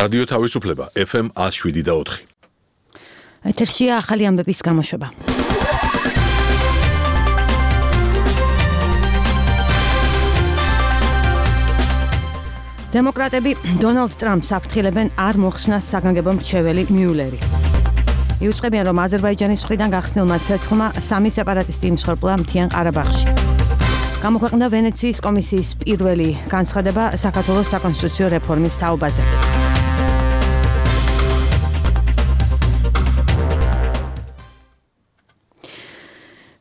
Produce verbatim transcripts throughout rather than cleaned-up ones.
რადიო თავისუფლება ეფ ემ ათს შვიდი და ოთხი. ეთერშია ახალი ამბების გამოშვება. დემოკრატები დონალდ ტრამპს აფრთხილებენ არ მოხსნას საგანგებო მრჩეველი მიულერი. იუწყებიან, რომ აზერბაიჯანის მხრიდან გახსნილმა ცეცხლმა სამი სეპარატისტი იმსხვერპლა მთიან ყარაბაღში. გამოქვეყნდა ვენეციის კომისიის პირველი განცხადება საქართველოს საკონსტიტუციო რეფორმის თაობაზე.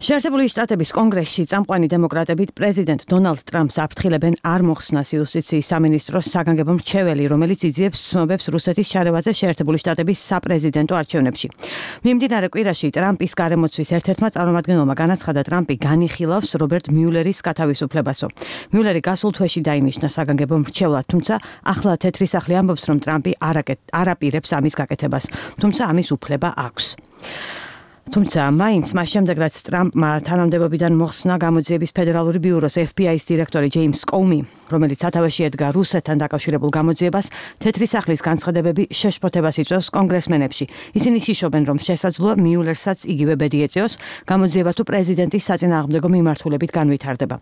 შეერთებული შტატების კონგრესში წამყვანი დემოკრატები პრეზიდენტ დონალდ ტრამპს აფრთხილებენ არ მოხსნას იუსტიციის სამინისტროს საგანგებო მრჩეველი, რომელიც იძიებს ცნობებს რუსეთის ჩარევაზე შეერთებული შტატების საპრეზიდენტო არჩევნებში. მიმდინარე კვირაში ტრამპის გარემოცვის ერთ-ერთმა წარმომადგენელმა განაცხადა, ტრამპი განიხილავს რობერტ მიულერის გათავისუფლებასო. მიულერი გასულ თვეში დაინიშნა საგანგებო მრჩევლად, თუმცა ახლა თეთრი სახლი ამბობს, რომ ტრამპი არ აპირებს ამის გაკეთებას, თუმცა ამის უფლება აქვს. თუმცა მაინც მას შემდეგ, რაც ტრამპმა თანამდებობიდან მოხსნა გამოძიების ფედერალური ბიუროს ეფ ბი აის დირექტორი ჯეიმს კოუმი, რომელიც სათავეში ედგა რუსეთთან დაკავშირებულ გამოძიებას, თეთრი სახლის განცხადებები შეშფოთებას იწვევს კონგრესმენებში. ისინი შიშობენ, რომ შესაძლოა მიულერსაც იგივე ბედი ეწიოს, გამოძიება თუ პრეზიდენტის საწინააღმდეგო მიმართულებით განვითარდება.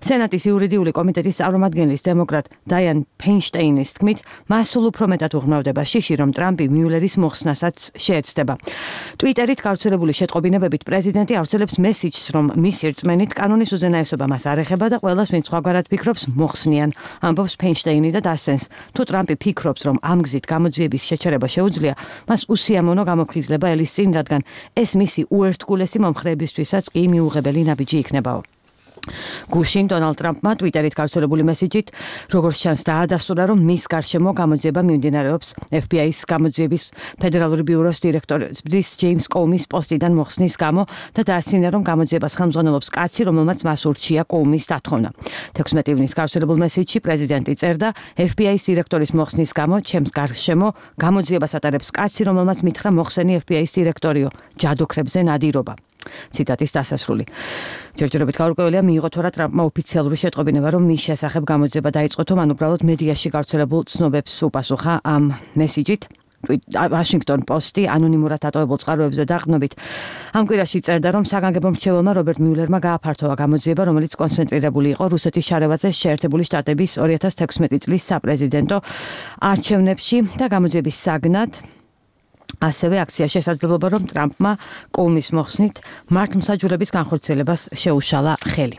სენატის იურიდიული კომიტეტის წარმომადგენლის დემოკრატ დაიან ფეინშტეინის თქმით, მას სულ უფრო მეტად უღრმავდება შიში, რომ ტრამპი მიულერის მოხსნასაც შეეცდება. ტვიტერით გავრცელებული შეტყობინებებით პრეზიდენტი ავრცელებს მესიჯს, რომ მისი რწმენით კანონის უზენაესობა მას არ ეხება და ყველას, ვინც სხვაგვარად ფიქრობს, მოხსნიან, ამბობს ფეინშტეინი და დასცენს. თუ ტრამპი ფიქრობს, რომ ამ გზით გამოძიების შეჩერება შეუძლია, მას უსიამოვნო გამოფხიზლება ელის წინ, რადგან ეს მისი უერთგულესი მომხრეებისთვისაც კი მიუღებელი ნაბიჯი იქნებაო. გუშინ დონალდ ტრამპმა ტვიტერით გავრცელებული მესიჯით, როგორც ჩანს, დაადასტურა, რომ მის გარშემო გამოძიება მიმდინარეობს ეფ ბი აის გამოძიების ფედერალური ბიუროს დირექტორის ჯეიმს კოუმის პოსტიდან მოხსნის გამო და დაასწინა, რომ გამოძიებას ხელმძღვანელობს კაცი, რომელმაც მას ურჩია კოუმის დათხოვნა. თექვსმეტი ივნის გავრცელებულ მესიჯში პრეზიდენტი წერდა, ეფ ბი აის დირექტორის მოხსნის გამო ჩემს გარშემო გამოძიებას ატარებს კაცი, რომელმაც მითხრა მოხსენი ეფ ბი აის დირექტორიო, ჯადოქრებზე ნადირობა. ციტატის დასასრული. ჯერჯერობით გაურკვეველია მიიღო თუ არა ტრამპმა ოფიციალური შეტყობინება, რომ მის შესახებ გამოძიება დაიწყო, თუ მან უბრალოდ მედიაში გავრცელებულ ცნობებს უპასუხა ამ მესიჯით. ვაშინგტონ პოსტი ანონიმურად დატოვებულ წყაროებზე დაყრდნობით ამ კვირაში წერდა, რომ საგანგებო მრჩეველმა რობერტ მიულერმა გააფართოვა გამოძიება, რომელიც კონცენტრირებული იყო რუსეთის ჩარევაზე შეერთებული შტატების ორი ათას თექვსმეტი წლის საპრეზიდენტო არჩევნებში და გამოძიების საგნად ასევე აქცია შესაძლებლობა, რომ ტრამპმა კოუმის მოხსნით მართლმსაჯულების განხორციელებას შეუშალა ხელი.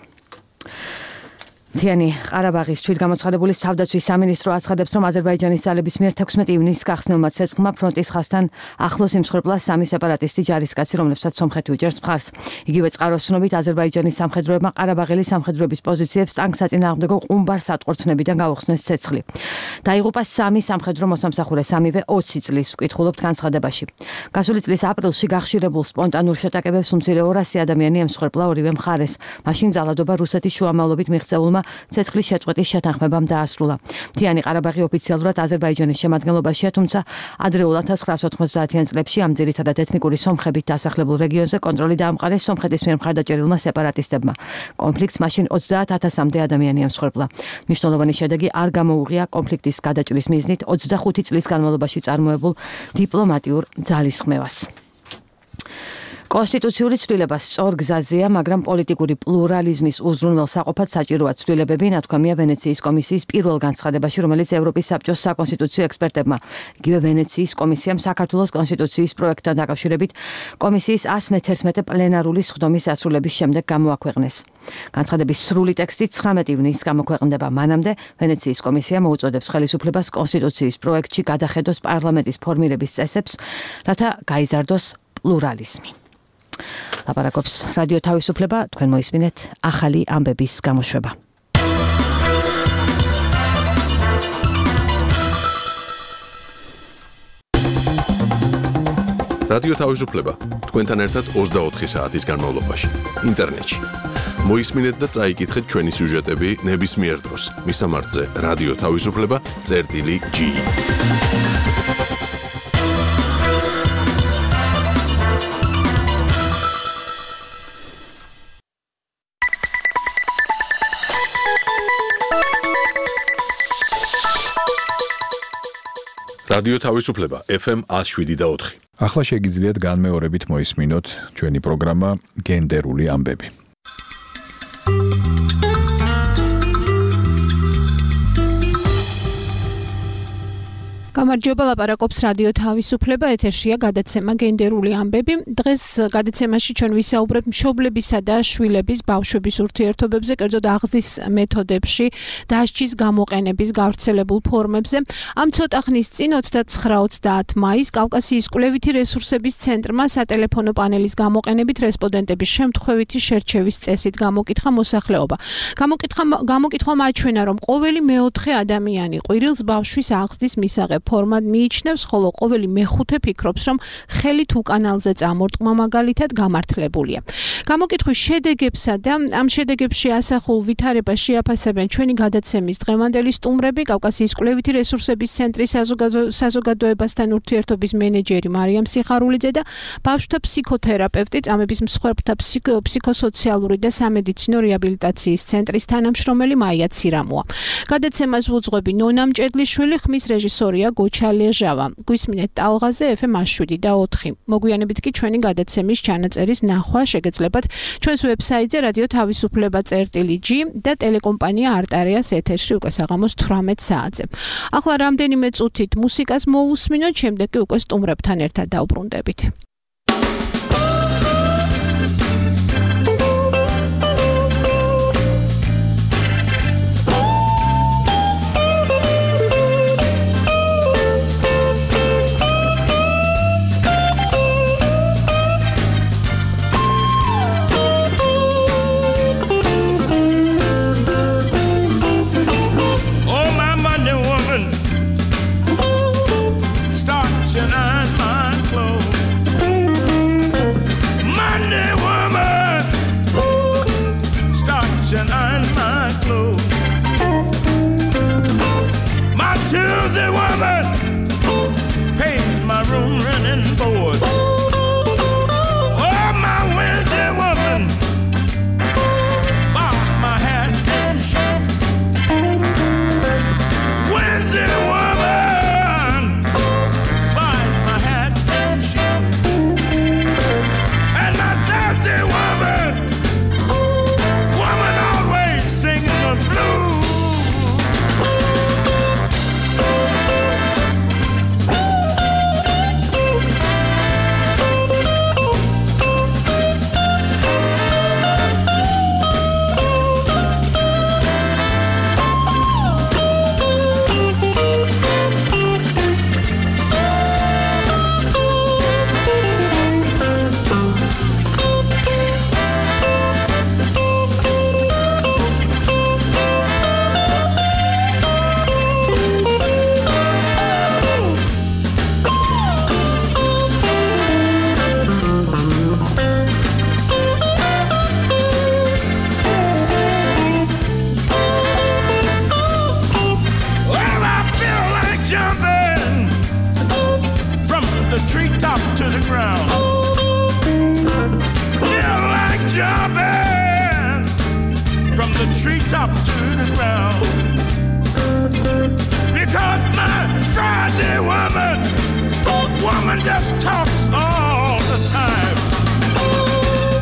მთიანი ყარაბაღის თვითგამოცხადებული თავდაცვის სამინისტრო აცხადებს, რომ აზერბაიჯანის ძალების მიერ თექვსმეტი ივნის გახსნილმა ცეცხლმა ფრონტის ხაზთან ახლოს იმსხვერპლა სამი სეპარატისტი ჯარისკაცი, რომლებსაც სომხეთი უჭერს მხარს. იგივე წყაროს ცნობით, აზერბაიჯანის სამხედროებმა ყარაბაღელი სამხედროების პოზიციებს ტანკსაწინააღმდეგო ყუმბარ სატყორცნებიდან გაუხსნეს ცეცხლი. დაიღუპა სამი სამხედრო მოსამსახურე, სამივე ოცი წლის, ვკითხულობთ განცხადებაში. გასული წლის აპრილში გახშირებულ სპონტანურ შეტაკებებს უმცირე ორასი ადამიანი ემსხვერპლა ორივე მხარეს. მაშინ ძალადობა რუსეთის შუამავლობით მიღწეულმა ცეცხლის შეწყვეტის შეთანხმებამ დაასრულა. მთიანი ყარაბაღი ოფიციალურად აზერბაიჯანის შემადგენლობაშია, თუმცა ადრეულ ათას ცხრაას ოთხმოცდაათიან წლებში ამ ძირითადად ეთნიკური სომხებით დასახლებულ რეგიონზე კონტროლი დაამყარეს სომხეთის მიერ მხარდაჭერილმა სეპარატისტებმა. კონფლიქტს მაშინ ოცდაათ ათასამდე ადამიანი ემსხვერპლა. მნიშვნელოვანი შედეგი არ გამოუღია კონფლიქტის გადაჭრის მიზნით ოცდახუთი წლის განმავლობაში წარმოებულ დიპლომატიურ ძალისხმევას. კონსტიტუციური ცვლილება სწორ გზაზეა, მაგრამ პოლიტიკური პლურალიზმის უზრუნველსაყოფად საჭიროა ცვლილებები, ნათქვამია ვენეციის კომისიის პირველ განცხადებაში, რომელიც ევროპის საბჭოს საკონსტიტუციო ექსპერტებმა, იგივე ვენეციის კომისიამ საქართველოს კონსტიტუციის პროექტთან დაკავშირებით კომისიის ას მეთერთმეტე პლენარული სხდომის ასრულების შემდეგ გამოაქვეყნეს. განცხადების სრული ტექსტი ცხრამეტი ივნის გამოქვეყნდება. მანამდე ვენეციის კომისია მოუწოდებს ხელისუფლებას კონსტიტუციის პროექტში გადახედოს პარლამენტის ფორმირების წესებს, რათა გაიზარდოს პლურალიზმი. ლაპარაკობს რადიო თავისუფლება, თქვენ მოისმინეთ ახალი ამბების გამოშვება. რადიო თავისუფლება თქვენთან ერთად ოცდაოთხი საათის განმავლობაში ინტერნეტში. მოისმინეთ და წაიკითხეთ ჩვენი სიუჟეტები ნებისმიერ დროს. მისამართზე რადიო თავისუფლება წერტილი ჯი. რადიო თავისუფლება F M one oh seven და four. ახლა შეგიძლიათ განმეორებით მოისმინოთ ჩვენი პროგრამა გენდერული ამბები. გამარჯობა, ლაპარაკობს რადიო თავისუფლება, ეთერშია გადაცემა გენდერული ამბები. დღეს გადაცემაში ჩვენ ვისაუბრებთ მშობლებისა და შვილების ბავშვების ურთიერთობებზე, კერძოდ აღზრდის მეთოდებში, დასჯის გამოყენების გავრცელებულ ფორმებზე. ამ ცოტა ხნის წინ ოცდაცხრა ოცდაათ მაისს კავკასიის კვლევითი რესურსების ცენტრმა სატელეფონო პანელის გამოყენებით რესპონდენტების შემთხვევითი შერჩევის წესით გამოკითხა მოსახლეობა. გამოკითხა გამოკითხვა მაჩვენა, რომ ყოველი მეოთხე ადამიანი ყვირილს ბავშვის აღზრდის მისაღებ ფორმად მიიჩნევს, ხოლო ყოველი მეხუთე ფიქრობს, რომ ხელით უკანალზე წამორტყმა მაგალითად გამართლებულია. გამოკითხვის შედეგებსა და ამ შედეგებში ასახულ ვითარებას შეაფასებენ ჩვენი გადაცემის დღევანდელი სტუმრები, კავკასიის კვლევითი რესურსების ცენტრის საზოგადოებასთან ურთიერთობის მენეჯერი მარიამ სიხარულიძე და ბავშვთა ფსიქოთერაპევტი, წამების მსხვერპლთა ფსიქოსოციალური და სამედიცინო რეაბილიტაციის ცენტრის თანამშრომელი მაია ცირამოა. გადაცემას ვუძღვები ნონა მჭედლიშვილი, ხმის რეჟისორია გოჩა ლეჟავა. გვისმინეთ ტალღაზე F M one oh seven და four. მოგვიანებით კი ჩვენი გადაცემის ჩანაწერის ნახვა შეგეძლებათ ჩვენს ვებსაიტზე რადიო თავისუფლება წერტილი G და ტელეკომპანია არტარიას ეთერში უკვე საღამოს თვრამეტ საათზე. ახლა რამდენიმე წუთით მუსიკას მოусმინოთ, შემდეგ კი უკვე სტუმრებთან ერთად დავბრუნდებით. Tuesday woman pays my room rent and board. Oh, my Wednesday woman bought my hat and shoes. Wednesday woman buys my hat and shoes. And my Thursday woman, woman always singing the blues. Treetop to the ground, because my Friday woman, woman just talks all the time.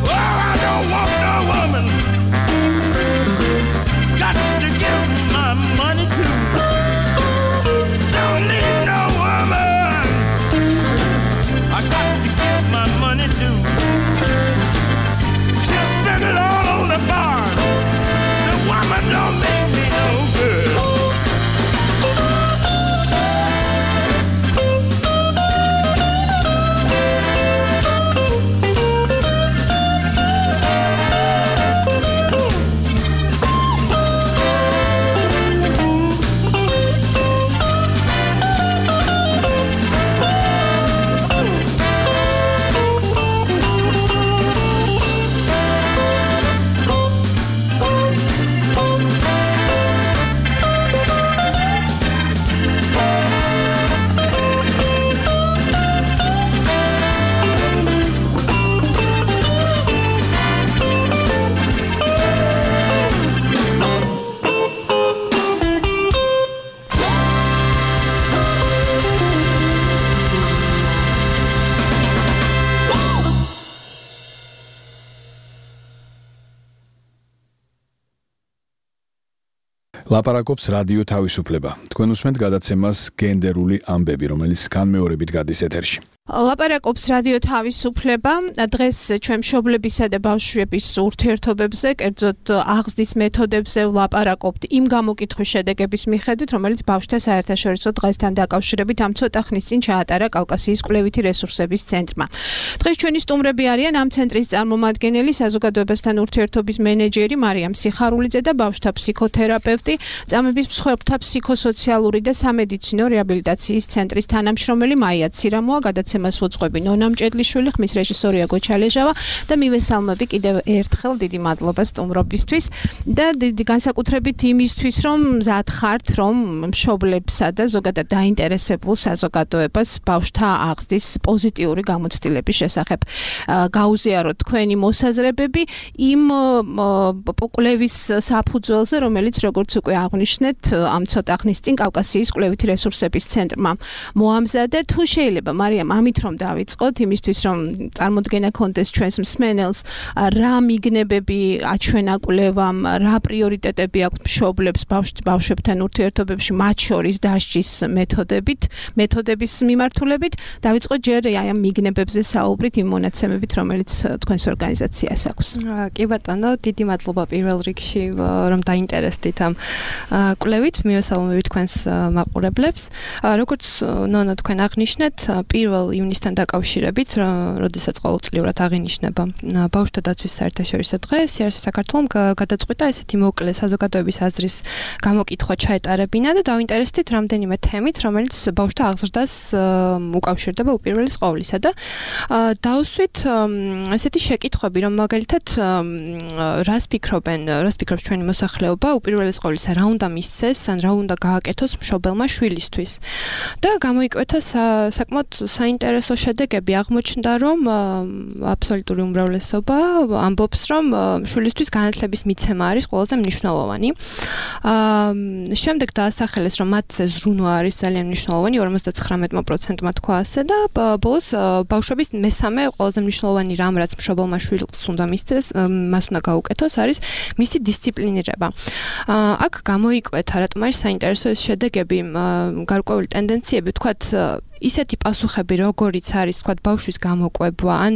Oh, I don't want no woman, got to give my money to. Don't need no woman, I got to give my money to. She'll spend it all on the bar. Woman don't make me no good. ლაპარაკობს რადიო თავისუფლება. თქვენ უსმენთ გადაცემას გენდერული ამბები, რომელიც განმეორებით გადის ეთერში. ლაპარაკობს რადიო თავისუფლება. დღეს ჩვენ მშობლებისა და ბავშვების ურთიერთობებზე, კერძოდ აღზრდის მეთოდებზე ვლაპარაკობთ იმ გამოკითხვის შედეგების მიხედვით, რომელიც ბავშვთა საერთაშორისო დღესთან დაკავშირებით ამ ცოტა ხნის წინ ჩაატარა კავკასიის კვლევითი რესურსების ცენტრმა. დღეს ჩვენი სტუმრები არიან ამ ცენტრის წარმომადგენელი, საზოგადოებასთან ურთიერთობის მენეჯერი მარიამ სიხარულიძე და ბავშვთა ფსიქოთერაპევტი, წამების მსხვერპლთა ფსიქოსოციალური და სამედიცინო რეაბილიტაციის ცენტრის თანამშრომელი მაია ცირამოა, გადაცემას უძღვები ნონა მჭედლიშვილი, ხმის რეჟისორია გოჩალეჟავა და მივესალმები კიდევ ერთხელ დიდი მადლობა სტუმრობისთვის და დიდი განსაკუთრებით იმისთვის, რომ მზად ხართ, რომ მშობლებსა და ზოგადად დაინტერესებულ საზოგადოებას ბავშვთა აღზრდის პოზიტიური გამოცდილების შესახებ გაუზიაროთ თქვენი მოსაზრებები იმ კვლევის საფუძველზე, რომელიც როგორც უკვე აღნიშნეთ, ამ ცოტა ხნის წინ კავკასიის კვლევითი რესურსების ცენტრმა მოამზადა. თუ შეიძლება მარიამ ამით რომ დავიწყოთ, იმისთვის რომ წარმოდგენა კონდეს ჩვენს მსმენელს, რა მიგნებები აჩვენა კვლევამ, რა პრიორიტეტები აქვს მშობლებს ბავშვებთან ურთიერთობებში, მათ შორის დასჯის მეთოდებით, მეთოდების მიმართულებით. დავიწყოთ ჯერ აი ამ მიგნებებზე საუბრით, იმ მონაცემებით, რომელიც თქვენს ორგანიზაციას აქვს. კი ბატონო, დიდი მადლობა პირველ რიგში, რომ დაინტერესდით ამ კვლევით, მივესალმებით თქვენს მაყურებლებს. როგორც ნონა თქვენ აღნიშნეთ, პირველ ივნისთან დაკავშირებით, როდესაც ყოველწლიურად აღინიშნება ბავშვთა დაცვის საერთაშორისო დღე, სიარსი საქართველომ გადაწყვიტა ესეთი მოკლე საზოგადოების აზრის გამოკითხვა ჩაეტარებინა და დავინტერესდით რამდენიმე თემით, რომელიც ბავშვთა აღზრდას უკავშირდება უპირველეს ყოვლისა და დავსვით ესეთი შეკითხვები, რომ მაგალითად რას ფიქრობენ, რას ფიქრობს ჩვენი მოსახლეობა უპირველეს ყოვლისა, რა უნდა მისცეს, ან რა უნდა გააკეთოს მშობელმა შვილისთვის. და გამოიკვეთა საკმაოდ საინტერესო შედეგები, აღმოჩნდა, რომ აბსოლუტური უმრავლესობა ამბობს, რომ შვილისთვის განათლების მიცემა არის ყველაზე მნიშვნელოვანი. შემდეგ დაასახელეს, რომ მათზე ზრუნვა არის ძალიან მნიშვნელოვანი, ორმოცდათხრამეტ პროცენტმა თქვა ასე და ბოლოს ბავშვების მესამე ყველაზე მნიშვნელოვანი რამ, რაც მშობელმა შვილს უნდა მისცეს, მას უნდა გაუკეთოს, არის მისი დისციპლინირება. აქ გამოიკვეთა, რატომ არის საინტერესო ეს შედეგები, გარკვეული ტენდენციები, თქვათ ისეთი პასუხები, როგორიც არის, თქვათ, ბავშვის გამოკვება, ან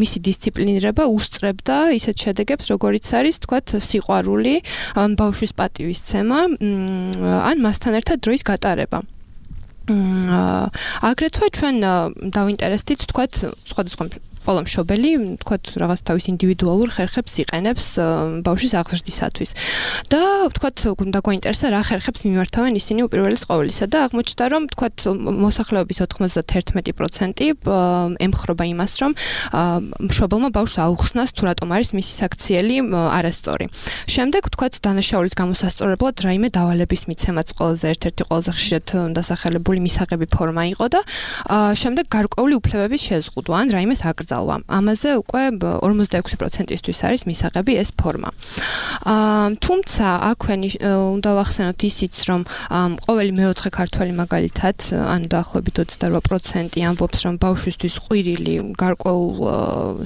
მისი დისციპლინირება უსწრებდა ისეთ შედეგებს, როგორიც არის, თქვათ, სიყვარული, ბავშვის პატივისცემა, ან მასთან ერთად დროის გატარება. აგრეთვე ჩვენ დავინტერესდით, თქვათ, სხვადასხვა ყველა მშობელი, თქვათ, რაღაც თავის ინდივიდუალურ ხერხებს იყენებს ბავშვის აღზრდისათვის. და თქვათ, უნდა გვაინტერესა რა ხერხებს მიმართავენ ისინი უპირველეს ყოვლისა და აღმოჩნდა, რომ თქვათ, მოსახლეობის ოცდაათმეტ პროცენტი ემხრობა იმას, რომ მშობელმა ბავშვს აუხსნას თუ რატომ არის მისი საქციელი არასწორი. შემდეგ, თქვათ, დანაშაულის გამოსასწორებლად რაიმე დავალების მიცემაც ყველაზე ერთ-ერთი ყველაზე ხშირად დასახელებული მისაღები ფორმა იყო და შემდეგ გარკვეული უფლებების შეზღუდვა ან რაიმეს აკრძალვა. ამაზე უკვე ორმოცდაექვსი პროცენტისთვის არის მისაღები ეს ფორმა. თუმცა აქვე უნდა ვახსენოთ ისიც, რომ ყოველი მეოთხე ქართველი მაგალითად, ანუ დაახლოებით ოცდარვა პროცენტი ამბობს, რომ ბავშვისთვის ყვირილი გარკვეულ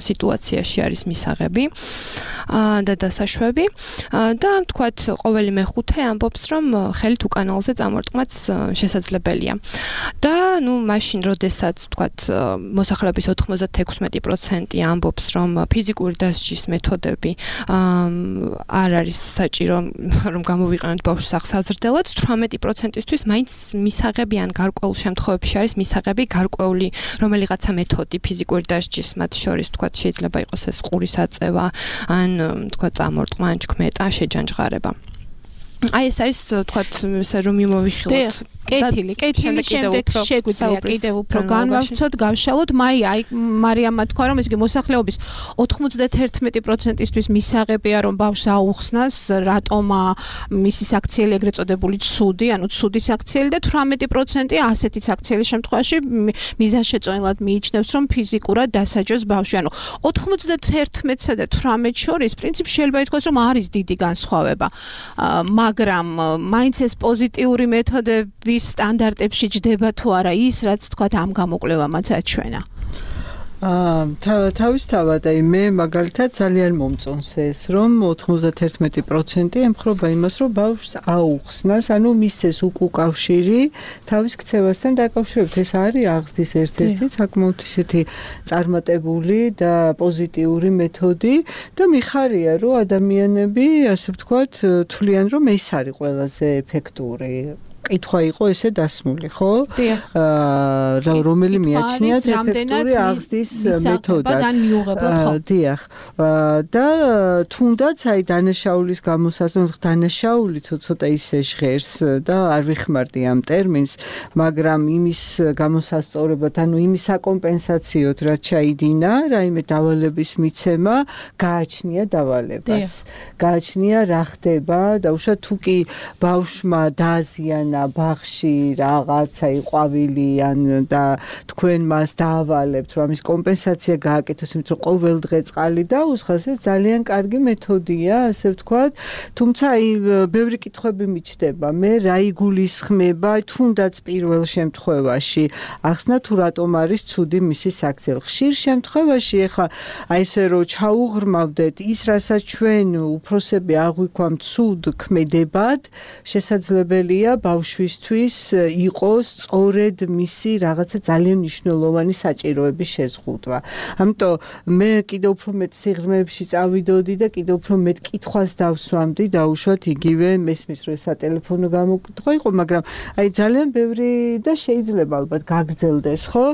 სიტუაციაში არის მისაღები და დასაშვები და თქვათ, ყოველი მეხუთე ამბობს, რომ ხელით უკანალზე წამორტყმაც შესაძლებელია. და ნუ მაშინ, როდესაც თქვათ, მოსახლეობის ოთხმოცდაექვსი პროცენტი ამბობს, რომ ფიზიკური დასჯის მეთოდები არ არის საჭირო, რომ გამოვიყენოთ ბავშვს აღსაზრდელად, თვრამეტი პროცენტისთვის მაინც მისაღები ან გარკვეულ შემთხვევებში არის მისაღები გარკვეული რომელიღაცა მეთოდი ფიზიკური დასჯის, მათ შორის თქვათ, შეიძლება იყოს ეს ყურის აწევა, ან თქვათ, წამორტყმა, ან ჩქმეტა, შეჯანჯღარება. აი ეს არის თქვათ, ესე რომ მიმოვიხილოთ. კეთილი, კეთილი, შემდეგ შეგვიძლია კიდევ უფრო განვავრცოთ, გავშალოთ. მაი, აი მარიამმა თქვა, რომ ეს იგი მოსახლეობის ოცდაათმეტ პროცენტისთვის მისაღებია, რომ ბავშვს აუხსნას, რატომ მისი საქციელი ეგრეთ წოდებული ცუდი, ანუ ცუდი საქციელი და თვრამეტი პროცენტი ასეთი საქცieლის შემთხვევაში მიზანშეწონილად მიიჩნევს, რომ ფიზიკურად დასაჯოს ბავშვი. ანუ ოცდაათმეტსა და თვრამეტს შორის პრინციპში შეიძლება ითქვას, რომ არის დიდი განსხვავება. მაგრამ მაინც ეს პოზიტიური მეთოდები სტანდარტებში ჯდება თუ არა ის, რაც თქვათ ამ გამოკვლევამაც აჩვენა. აა თავისთავად აი მე მაგალითად ძალიან მომწონს ეს რომ ოთხმოცდაერთი პროცენტი ემხრობა იმას რომ ბავშვს აუხსნას ანუ მისცეს უკუკავშირი თავის ქცევასთან დაკავშირებით ეს არის აღზრდის ერთ-ერთი საკმაოდ ისეთი წარმატებული და პოზიტიური მეთოდი და მიხარია რომ ადამიანები ასე ვთქვათ თვლიან რომ ეს არის ყველაზე ეფექტური კითხვა იყო ესე დასმული, ხო? აა რომელი მიაჩნიათ ეფექტური აღზრდის მეთოდად. დიახ. და თუნდაც აი დანაშაულის გამოსაზრდად დანაშაული ცოტა ისე ჟღერს და არ ვიხმარდი ამ ტერმინს, მაგრამ იმის გამოსასწორებლად, ანუ იმის საკომპენსაციოდ რაც ჩაიდინა, რაიმე დავალების მიცემა გააჩნია დავალებას. გააჩნია რა ხდება და უშუალოდ თუ კი ბავშვმა დააზიანა ბაღში რაღაცა იყვავილი ან და თქვენ მას დაავალებთ რომ ამის კომპენსაცია გააკეთოს იმიტომ რომ ყოველ დღე წყალი დაუსხას ეს ძალიან კარგი მეთოდია ასე ვთქვათ თუმცა აი ბევრი კითხვები მიჩნდება მე რა იგულისხმება თუნდაც პირველ შემთხვევაში ახსნა თუ რატომ არის ცუდი მისი საქციელი ხშირ შემთხვევაში ეხლა აი ესე რომ ჩაუღრმავდეთ ის რასაც ჩვენ უფროსები აღვიქვამთ ცუდ ქმედებად შესაძლებელია ბავშვისთვის იყოს სწორედ მისი რაღაცა ძალიან მნიშვნელოვანი საჭიროების შეზღუდვა. ამიტომ მე კიდევ უფრო მეტ სიღრმეებში წავიდოდი და კიდევ უფრო მეტ კითხვას დავსვამდი და უშუალოდ იგივე მესმის რომ სატელეფონო გამოკითხვა იყო, მაგრამ აი ძალიან ბევრი და შეიძლება ალბათ გაგრძელდეს, ხო?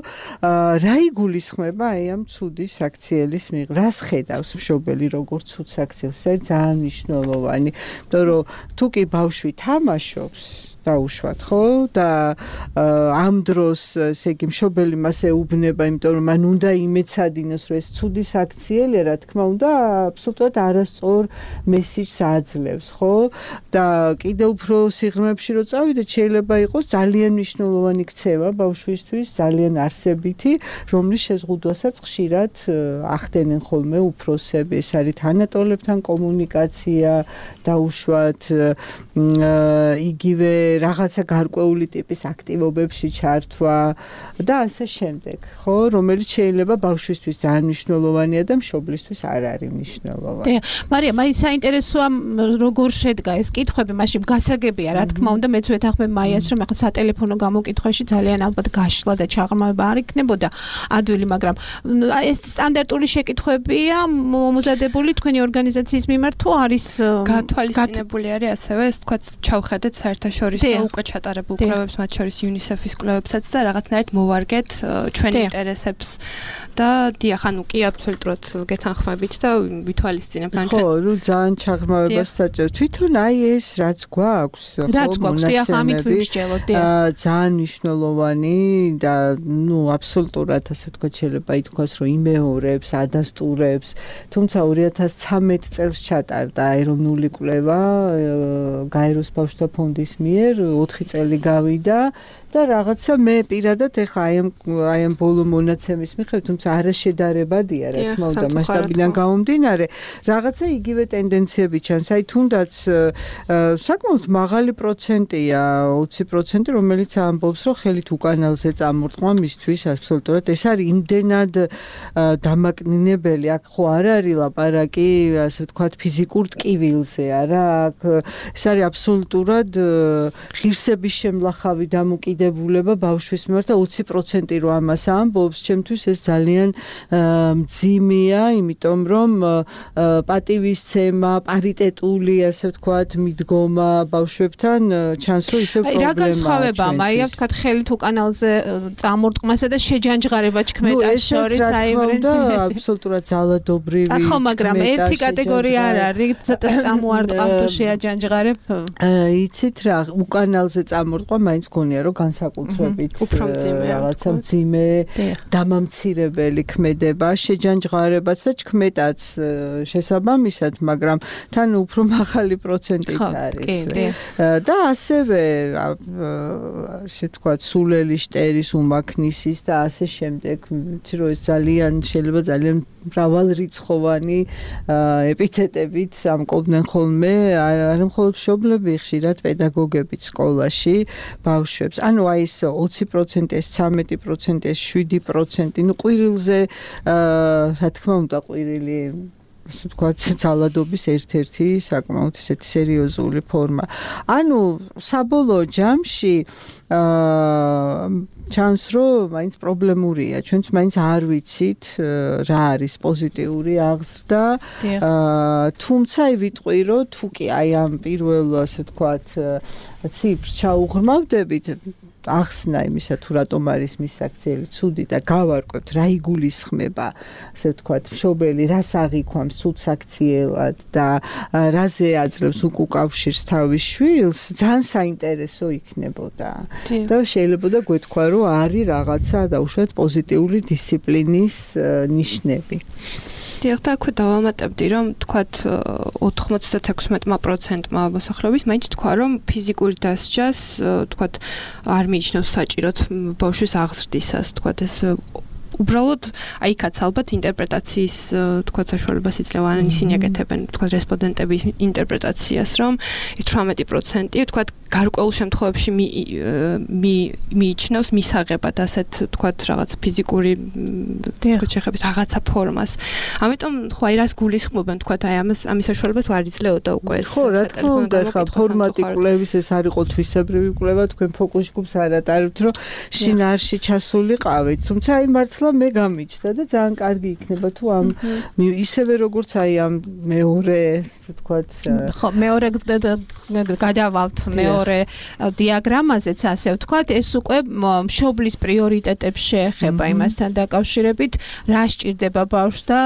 რა იგულისხმება აი ამ ცუდი საქციელის მიღება? რას ხედავს მშობელი როგორც ცუდ საქციელს? ეს ძალიან მნიშვნელოვანი, იმიტომ რომ თუ კი ბავშვი თამაშობს დაუშვათ, ხო? და ამ დროს ესე იგი მშობელი მას ეუბნება, იმიტომ რომ მან უნდა იმეცადინოს, რომ ეს ცუდი საქციელია, რა თქმა უნდა, აბსოლუტურად არასწორ მესიჯს აძლევს, ხო? და კიდევ უფრო სიღრმეებში რო წავიდეთ, შეიძლება იყოს ძალიან მნიშვნელოვანი ქცევა ბავშვისთვის, ძალიან არსებითი, რომლის შეზღუდვასაც ხშირად ახდენენ ხოლმე უფროსები. ეს არის თანატოლებთან კომუნიკაცია, დაუშვათ იგივე რაღაცა გარკვეული ტიპის აქტივობებში ჩართვა და ასე შემდეგ, ხო, რომელიც შეიძლება ბავშვისთვის ძალიან მნიშვნელოვანია და მშობლისთვის არ არის მნიშვნელოვანი. დიახ, მარიამ, აი საინტერესოა როგორ შედგა ეს კითხვები, მაშინ გასაგებია, რა თქმა უნდა, მეც ვეთანხმებ მაიას, რომ ახლა სატელეფონო გამოკითხვაში ძალიან ალბათ გაშლა და ჩაღრმავება არ იქნებოდა ადვილი, მაგრამ ეს სტანდარტული შეკითხვებია მომზადებული თქვენი ორგანიზაციის მიმართ თუ არის გათვალისწინებული არის ასევე, ეს თქვა ჩავხედეთ საერთაშორისო უკვე ჩატარებულ კვლევებს, მათ შორის იუნისეფის კვლევებსაც და რაღაცნაირად მოვარგეთ ჩვენი ინტერესებს და დიახ, ანუ კი აბსოლუტურად გეთანხმებით და ვითვალისწინებთ ან ხო, რომ ძალიან ჩაღრმავებას საჭირო. თვითონ აი ეს რაც გვაქვს, ხო, რაც გვაქვს, დიახ, ამით ვიმსჯელოთ, დიახ. ძალიან მნიშვნელოვანი და ნუ აბსოლუტურად ასე ვთქვათ, შეიძლება ითქვას, რომ იმეორებს, ადასტურებს, თუმცა ორი ათას ცხრამეტ წელს ჩატარდა ეროვნული კვლევა გაეროს ბავშვთა ფონდის მიერ ოთხი წელი გავიდა და რაღაცა მე პირადად ეხა აი ამ აი ამ ბოლო მონაცემის მიხედვით, თუმცა არაშედარებადია, რა თქმა უნდა, მასშტაბიდან გამომდინარე, რაღაცა იგივე ტენდენციები ჩანს. აი თუნდაც საკმაოდ მაღალი პროცენტია, ოცი პროცენტი, რომელიც ამბობს, რომ ხელით უკანალზე წამორტყმა მისთვის აბსოლუტურად ეს არის იმდენად დამაკნინებელი, აქ ხო არ არის ლაპარაკი, ასე ვთქვათ, ფიზიკურ ტკივილზე, არა, აქ ეს არის აბსოლუტურად ღირსების შემლახავი დამოკიდებულება ბავშვის მიმართ და ოცი პროცენტი რო ამას ამბობს, ჩემთვის ეს ძალიან მძიმეა, იმიტომ რომ პატივისცემა, პარიტეტული, ასე ვთქვათ, მიდგომა ბავშვებთან ჩანს, რომ ისევ პრობლემაა. აი, რა განსხვავებაა, მაია, ვთქვათ, ხელით უკანალზე წამორტყმასა და შეჯანჯღარება ჩქმეტას შორის, აი, აბსოლუტურად ძალადობრივი. ხო, მაგრამ ერთი კატეგორია არ არის, ცოტა წამოარტყავ თუ შეაჯანჯღარებ. იცით რა, უკანალზე წამორტყვა მაინც გონია, რომ განსაკუთრებით რაღაცა მძიმე, დამამცირებელი ქმედება, შეჯანჯღარებაც და ჩქმეტაც შესაბამისად, მაგრამ თან უფრო მაღალი პროცენტით არის. და ასევე ასე ვთქვათ, სულელი შტერის, უმაქნისის და ასე შემდეგ, ვიცი რომ ეს ძალიან შეიძლება ძალიან მრავალრიცხოვანი ეპითეტებით ამკობდნენ ხოლმე, არ მხოლოდ მშობლები, ხშირად პედაგოგებიც სკოლაში ბავშვებს. ანუ ანუ აი ეს ოცი პროცენტი, ეს ცამეტი პროცენტი, ეს შვიდი პროცენტი, ნუ ყვირილზე რა თქმა უნდა ყვირილი ასე ვთქვათ, ძალადობის ერთ-ერთი საკმაოდ ისეთი სერიოზული ფორმა. ანუ საბოლოო ჯამში აა ჩანს რომ მაინც პრობლემურია. ჩვენც მაინც არ ვიცით რა არის პოზიტიური აღზრდა. აა თუმცა ვიტყვი რომ თუ კი აი ამ პირველ ასე ვთქვათ ციფრს ჩაუღრმავდებით ახსნა იმისა თუ რატომ არის მისაქციელი ცუდი და გავარკვევთ რა იგულისხმება ასე ვთქვათ მშობელი რას აღიქვამს ცუდ საქციელად და რაზე აძლევს უკუკავშირს თავის შვილს ძალიან საინტერესო იქნებოდა და შეიძლება და გვეთქვა რომ არის რაღაცა დაუშვათ პოზიტიური დისციპლინის ნიშნები დიახ და აქვე დავამატებდი რომ თქვათ ოთხმოცდათექვსმეტი პროცენტმა მოსახლეობის მაინც თქვა რომ ფიზიკური დასჯას თქვათ არ მიიჩნევს საჭიროდ ბავშვის აღზრდისას თქვათ ეს უბრალოდ აიქაც ალბათ ინტერპრეტაციის თქვათ საშუალებას იძლევა ან ისინი აკეთებენ თქვათ რესპონდენტების ინტერპრეტაციას რომ თვრამეტი პროცენტი თქვათ გარკვეულ შემთხვევებში მიიჩნევს მისაღებად ასეთ თქვათ რაღაც ფიზიკური შეხების რაღაცა ფორმას ამიტომ ხო აი რას გულისხმობენ თქვათ აი ამას ამის საშუალებას არ იძლეოდა უკვე ეს ხო რა თქმა უნდა ხა ფორმატი კვლევის ეს არ იყო თვისებრივი კვლევა თქვენ ფოკუს ჯგუფს არ ატარებთ რომ შინაარსში ჩასულიყავით თუმცა აი მართლა მე გამიჩნდა და ძალიან კარგი იქნება თუ ამ ისევე როგორც აი ამ მეორე თქვათ ხო მეორე გადავალთ მეორე დიაგრამაზეც ასე ვთქვათ ეს უკვე მშობლის პრიორიტეტებს შეეხება იმასთან დაკავშირებით რა სჭირდება ბავშვს და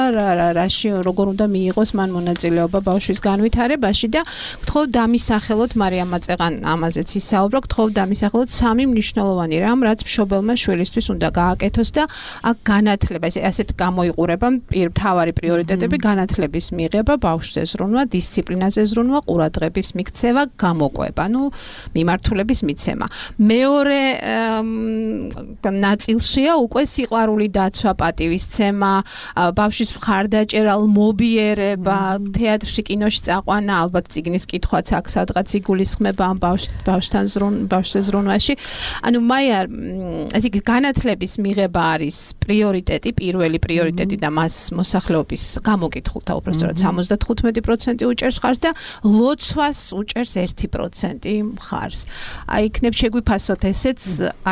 რაში როგორ უნდა მიიღოს მან მონაწილეობა ბავშვის განვითარებაში და გთხოვ დამისახელოთ მარიამ მაწეღან ამაზეც ისაუბრა გთხოვ დამისახელოთ სამი მნიშვნელოვანი რამ რაც მშობელმა შვილისთვის უნდა გააკეთოს და აქ განათლება ასეთ გამოიყურება მთავარი პრიორიტეტები განათლების მიღება ბავშვზე ზრუნვა დისციპლინაზე ზრუნვა ყურადღების მიქცევა გამოყვება ნუ მიმართულების მიცემა მეორე ნაწილშია უკვე სიყვარული დაცვა პატივისცემა ბავშვის მხარდაჭერა მობიერება თეატრში კინოში წაყვანა ალბათ წიგნის კითხვაც აქ სადღაც იგულისხმება ამ ბავშვთან ზრუნვა ბავშვზე ზრუნვაში ანუ მაია ესე იგი განათლების მიღება არის პრიორიტეტი, პირველი პრიორიტეტი და მას მოსახლეობის გამოკითხულთა უბრალოდ სამოცდათხუთმეტი პროცენტი უჭერს მხარს და ლოცვას უჭერს ერთი პროცენტი მხარს. აი იქნებ შეგვიფასოთ ესეც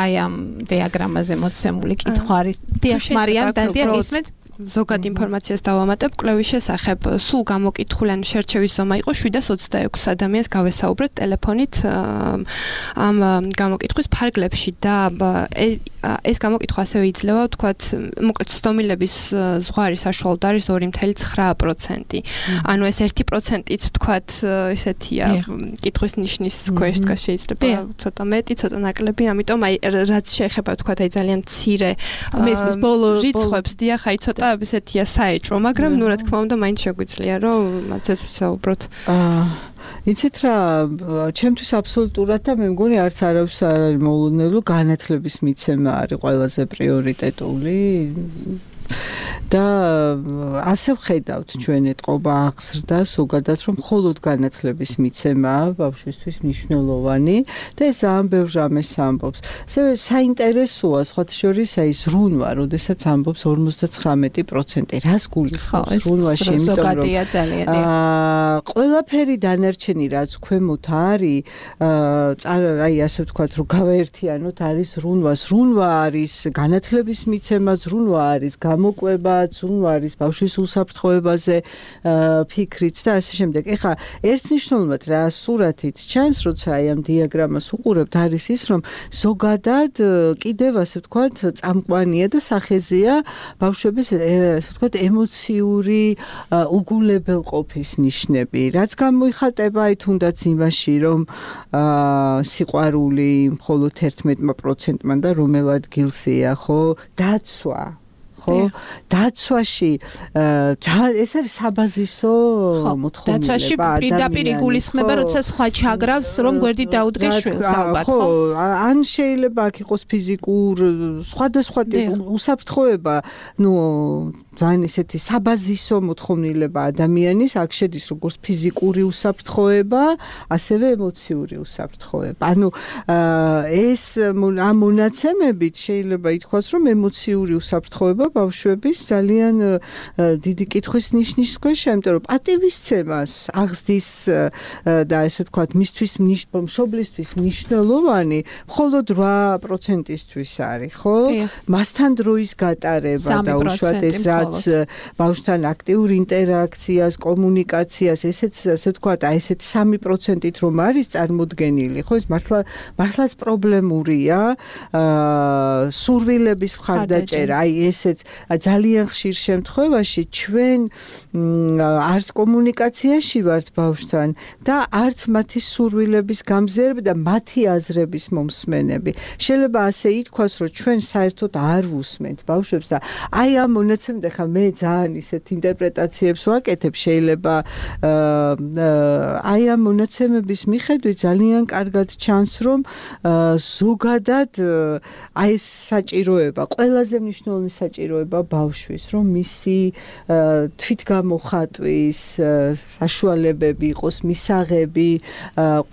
აი ამ დიაგრამაზე მოცემული კითხვა არის. დიახ, მარიამ, დადიან ისმეთ ზოგად ინფორმაციას დავამატებ კვლევის შესახებ სულ გამოკითხული ან შერჩევის ზომა იყო შვიდას ოცდაექვსი ადამიანს გავესაუბრეთ ტელეფონით ამ გამოკითხვის ფარგლებში და ეს გამოკითხვა ასევე იძლევა ვთქვათ მოკლედ ცდომილების ზღვარი საშუალოდ არის ორი წუთი ცხრა პროცენტი ანუ ეს ერთი პროცენტიც ვთქვათ ესეთია კითხვის ნიშნის ქვეშ დგას შეიძლება ცოტა მეტი ცოტა ნაკლები ამიტომ აი რაც შეეხება ვთქვათ აი ძალიან მცირე მესმის ბოლო რიცხვებს დიახ აი ცოტა ესეთია საეჭვო, მაგრამ ნუ რა თქმა უნდა მაინც შეგვიძლია რომ მათაც ვისაუბროთ. აა იცით რა, ჩემთვის აბსოლუტურად და მე მგონი არც არავის არ არის მოულოდნელი განათლების მიცემა არის ყველაზე პრიორიტეტული. და ასე ვხედავთ ჩვენ ეთყობა აღზრდა ზოგადად რომ მხოლოდ განათლების მიცემაა ბავშვისთვის მნიშვნელოვანი და ეს ძალიან ბევრ რამეს ამბობს. ასევე საინტერესოა სხვათა შორის აი ზრუნვა, როდესაც ამბობს ორმოცდაცხრამეტი პროცენტი. რას გულისხმობს ზრუნვაში, იმიტომ რომ აა ყველაფერი დანარჩენი რაც ქვემოთ არის, აი ასე ვთქვათ, რომ გავაერთიანოთ არის ზრუნვა. ზრუნვა არის განათლების მიცემა, ზრუნვა არის გამოყვება ზრუნვა არის ბავშვის უსაფრთხოებაზე ფიქრიც და ასე შემდეგ. ეხლა ერთნიშნულად რა სურათით ჩანს, როცა აი ამ დიაგრამას უყურებთ, არის ის, რომ ზოგადად კიდევ ასე ვთქვათ, წამყვანია და სახეზეა ბავშვების ასე ვთქვათ, ემოციური უგულებელყოფის ნიშნები. რაც გამოიხატება აი თუნდაც იმაში, რომ სიყვარული მხოლოდ ერთმეტი პროცენტმა და რომელ ადგილზეა, ხო, დაცვა ხო დაცვაში ეს არის საბაზისო მოთხოვნილება დაცვაში პირდაპირ იგულისხმება როცა სხვა ჩაგრავს რომ გვერდით დაუდგეს შვილს ალბათ ხო ან შეიძლება აქ იყოს ფიზიკურ სხვადასხვა უსაფრთხოება ნუ ძალიან ესეთი საბაზისო მოთხოვნილება ადამიანის, აქ შედის როგორც ფიზიკური უსაფრთხოება, ასევე ემოციური უსაფრთხოება. ანუ ეს ამ მონაცემებით შეიძლება ითქვას, რომ ემოციური უსაფრთხოება ბავშვების ძალიან დიდი კითხვის ნიშნის ქვეშა, იმიტომ რომ პატივისცემას აღზრდის და ესე ვთქვათ, მისთვის მშობლისთვის მნიშვნელოვანი მხოლოდ რვა პროცენტისთვის არის, ხო? მასთან დროის გატარება და უშუალოდ ეს რაც ბავშვთან აქტიურ ინტერაქციას, კომუნიკაციას, ესეც ასე ვთქვათ, აი ესეთ სამი პროცენტით რომ არის წარმოდგენილი, ხო? ეს მართლა მართლაც პრობლემურია. აა სურვილების მხარდაჭერა, აი ესეც ძალიან ხშირ შემთხვევაში ჩვენ არც კომუნიკაციაში ვართ ბავშვთან და არც მათი სურვილების გამზიარება და მათი აზრების მომსმენები. შეიძლება ასე ითქვას, რომ ჩვენ საერთოდ არ ვუსმენთ ბავშვებს და აი ამ მონაცემით ახლა მე ძალიან ისეთ ინტერპრეტაციებს ვაკეთებ, შეიძლება აი ამ მონაცემების მიხედვით ძალიან კარგად ჩანს, რომ ზოგადად აი ეს საჭიროება, ყველაზე მნიშვნელოვანი საჭიროება ბავშვის, რომ მისი თვითგამოხატვის საშუალებები იყოს, მისაღები,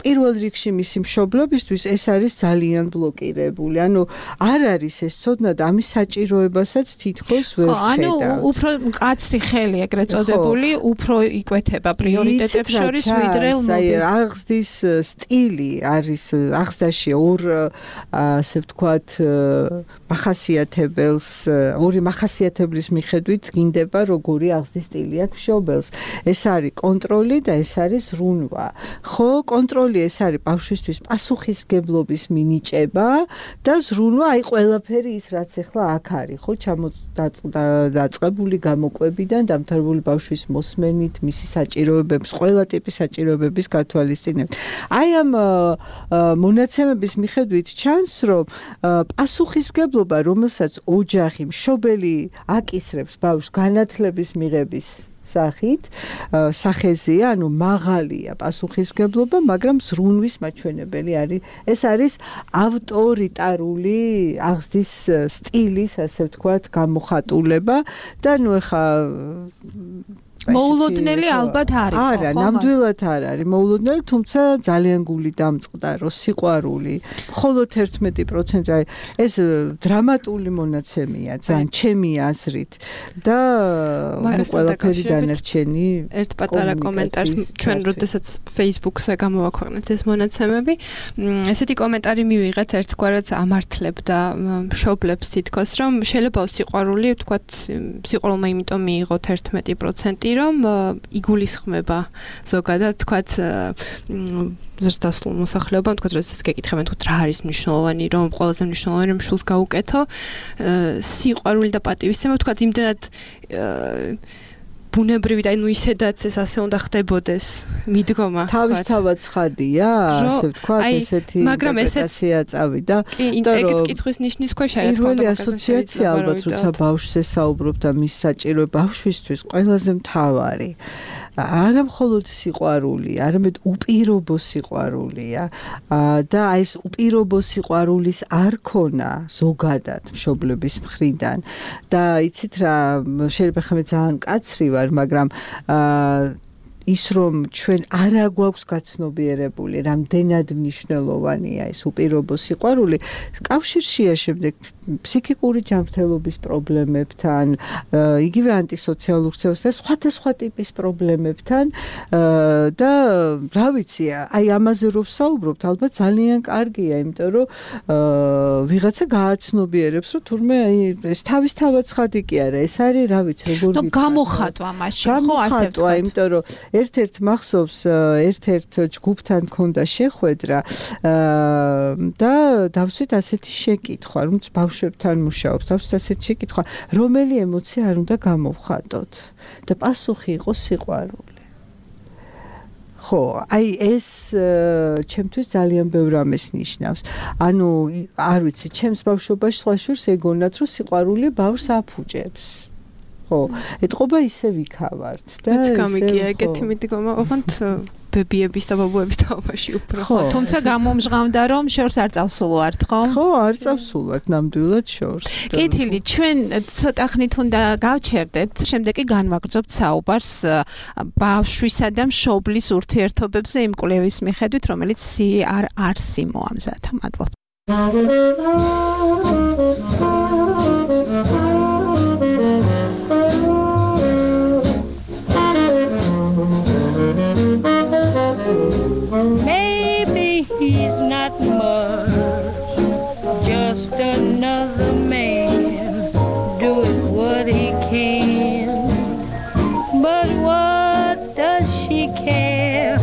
პირველ რიგში მისი მშობლობისთვის ეს არის ძალიან ბლოკირებული. ანუ არ არის ეს ცოდნა და ამის საჭიროებასაც თითქოს ვერ ხედავთ. ანუ უფრო მკაცრი ხელი ეგრეთ წოდებული, უფრო იკვეთება პრიორიტეტებს შორის ვიდრე აღზრდის სტილი არის აღზრდაში ორ ასე ვთქვათ მახასიათებელს, ორი მახასიათებლის მიხედვით გინდება როგორი აღზრდის სტილი აქვს მშობელს. ეს არის კონტროლი და ეს არის ზრუნვა. ხო, კონტროლი ეს არის ბავშვისთვის პასუხისმგებლობის მინიჭება და ზრუნვა აი ყველაფერი ის რაც ახლა აქ არის, ხო, ჩამოდაწყებული გამოკვებიდან დამთავრებული ბავშვის მოსმენით, მისი საჭიროებების, ყველა ტიპის საჭიროებების გათვალისწინებით. აი ამ მონაცემების მიხედვით ჩანს, რომ პასუხისმგებლობა, რომელსაც ოჯახი, მშობელი აკისრებს ბავშვს განათლების მიღების სახით, სახეზეა, ანუ მაღალია პასუხისმგებლობა, მაგრამ ზრუნვის მაჩვენებელი არის. ეს არის ავტორიტარული აღზრდის სტილის, ასე ვთქვათ, გამოხატულება და ნუ ეხა მოულოდნელი ალბათ არის, ხო? არა, ნამდვილად არ არის მოულოდნელი, თუმცა ძალიან გული დამწყდარო, სიყვარული, მხოლოდ ერთმეტი პროცენტი, აი ეს დრამატული მონაცემია, ძალიან ჩემი აზრით და ყველაფერი დანარჩენი. ერთ პატარა კომენტარს ჩვენ როდესაც Facebook-ზე გამოვაქვეყნეთ ეს მონაცემები, ესეთი კომენტარი მივიღეთ ერთგვარად ამართლებდა მშობლებს თითქოს, რომ შეიძლება სიყვარული, ვთქვათ, სიყვარულმა იმიტომ მიიღოთ ერთმეტი პროცენტი რომ იგულისხმება ზოგადად თქვათ ზრდასრულ მოსახლეობამ თქვათ როდესაც გეკითხებენ თქვათ რა არის მნიშვნელოვანი რომ ყველაზე მნიშვნელოვანი რომ შულს გაუკეთო სიყვარული და პატივისცემა თქვათ იმდენად ბუნებრივი და ნუ ისედაც ეს ასე უნდა ხდებოდეს მიდგომა თავისთავად ცხადია ასე ვთქვათ ესეთი ინტერპრეტაცია წავიდა იმიტომ რომ ეგეც კითხვის ნიშნის ქვეშ არის პირველი ასოციაცია ალბათ როცა ბავშვზე საუბრობ და მის საჭირო ბავშვისთვის ყველაზე მთავარი არა მხოლოდ სიყვარული, არამედ უპირობო სიყვარულია და აი ეს უპირობო სიყვარულის არქონა ზოგადად მშობლების მხრიდან და იცით რა შეიძლება ხმე ძალიან კაცრი ვარ, მაგრამ ის რომ ჩვენ არა გვაქვს გაცნობიერებული, რამდენად მნიშვნელოვანია ეს უპირობო სიყვარული, კავშირშია შემდეგ ფსიქიკური ჯანმრთელობის პრობლემებთან, იგივე ანტისოციალურ ქცევასთან, სხვადასხვა ტიპის პრობლემებთან და რა ვიცი, აი ამაზე რომ ვსაუბრობთ, ალბათ ძალიან კარგია, იმიტომ რომ ვიღაცა გააცნობიერებს, რომ თურმე აი ეს თავისთავად ცხადი კი არა, ეს არის რა ვიცი, როგორ გითხრათ. ნუ გამოხატვა მაშინ, ხო, ასე ვთქვათ. იმიტომ რომ ერთ-ერთ მახსოვს ერთ-ერთ ჯგუფთან მქონდა შეხვედრა და დავსვით ასეთი შეკითხვა, რომ ბავშვებთან მუშაობს, დავსვით ასეთი შეკითხვა, რომელი ემოცია არ უნდა გამოვხატოთ და პასუხი იყო სიყვარული. ხო, აი ეს ჩემთვის ძალიან ბევრ ამას ნიშნავს. ანუ არ ვიცი, ჩემს ბავშვობაში სხვა შურს ეგონათ, რომ სიყვარული ბავშვს აფუჭებს. ხო, ეთყობა ისე ვიქავართ და ეს გამიგია ეგეთი მიდგომა, ოღონდ ბებიების და ბაბუების თაობაში უფრო. ხო, თუმცა გამომჟღავდა რომ შორს არ წავსულვართ, ხო? ხო, არ წავსულვართ ნამდვილად შორს. კეთილი, ჩვენ ცოტა ხნით უნდა გავჩერდეთ, შემდეგ კი განვაგრძობთ საუბარს ბავშვისა და მშობლის ურთიერთობებზე იმ კვლევის მიხედვით, რომელიც სი არ არსი მოამზადა. მადლობა. Maybe he's not much, just another man doing what he can. But what does she care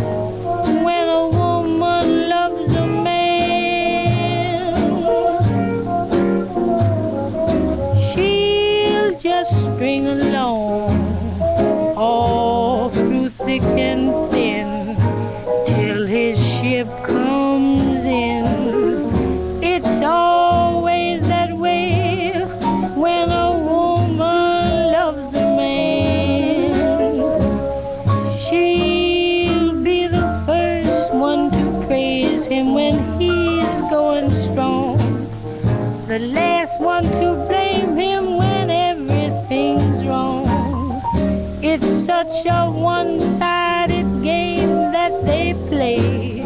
when a woman loves a man? She'll just string along all through thick and thin till his ship comes in. It's always that way when a woman loves a man. She'll be the first one to praise him when he's going strong, the last one to blame him when everything's wrong. It's such a one-sided game that they play,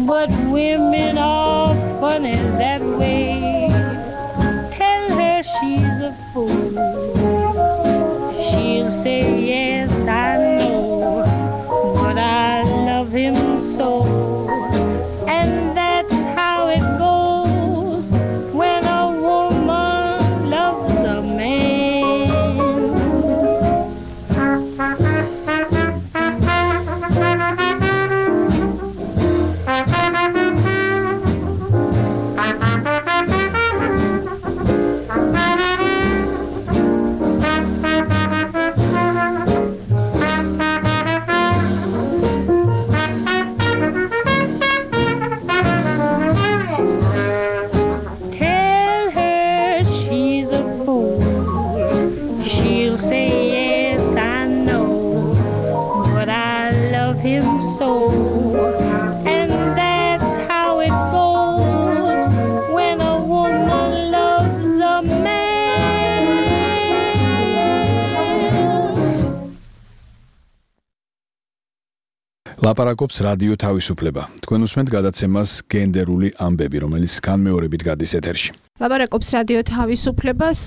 but women are funny that way. Tell her she's a fool, she'll say yes I know, but I love him so. And that's how it goes when a woman loves a man. Tell her she's a fool, she'll say yes I know, but I love him so. And that's how it goes when a woman loves a man. ლაპარაკობს რადიო თავისუფლება. თქვენ უსმენთ გადაცემას გენდერული ამბები, რომელიც განმეორებით გადის ეთერში. ლაპარაკობს რადიო თავისუფლებას,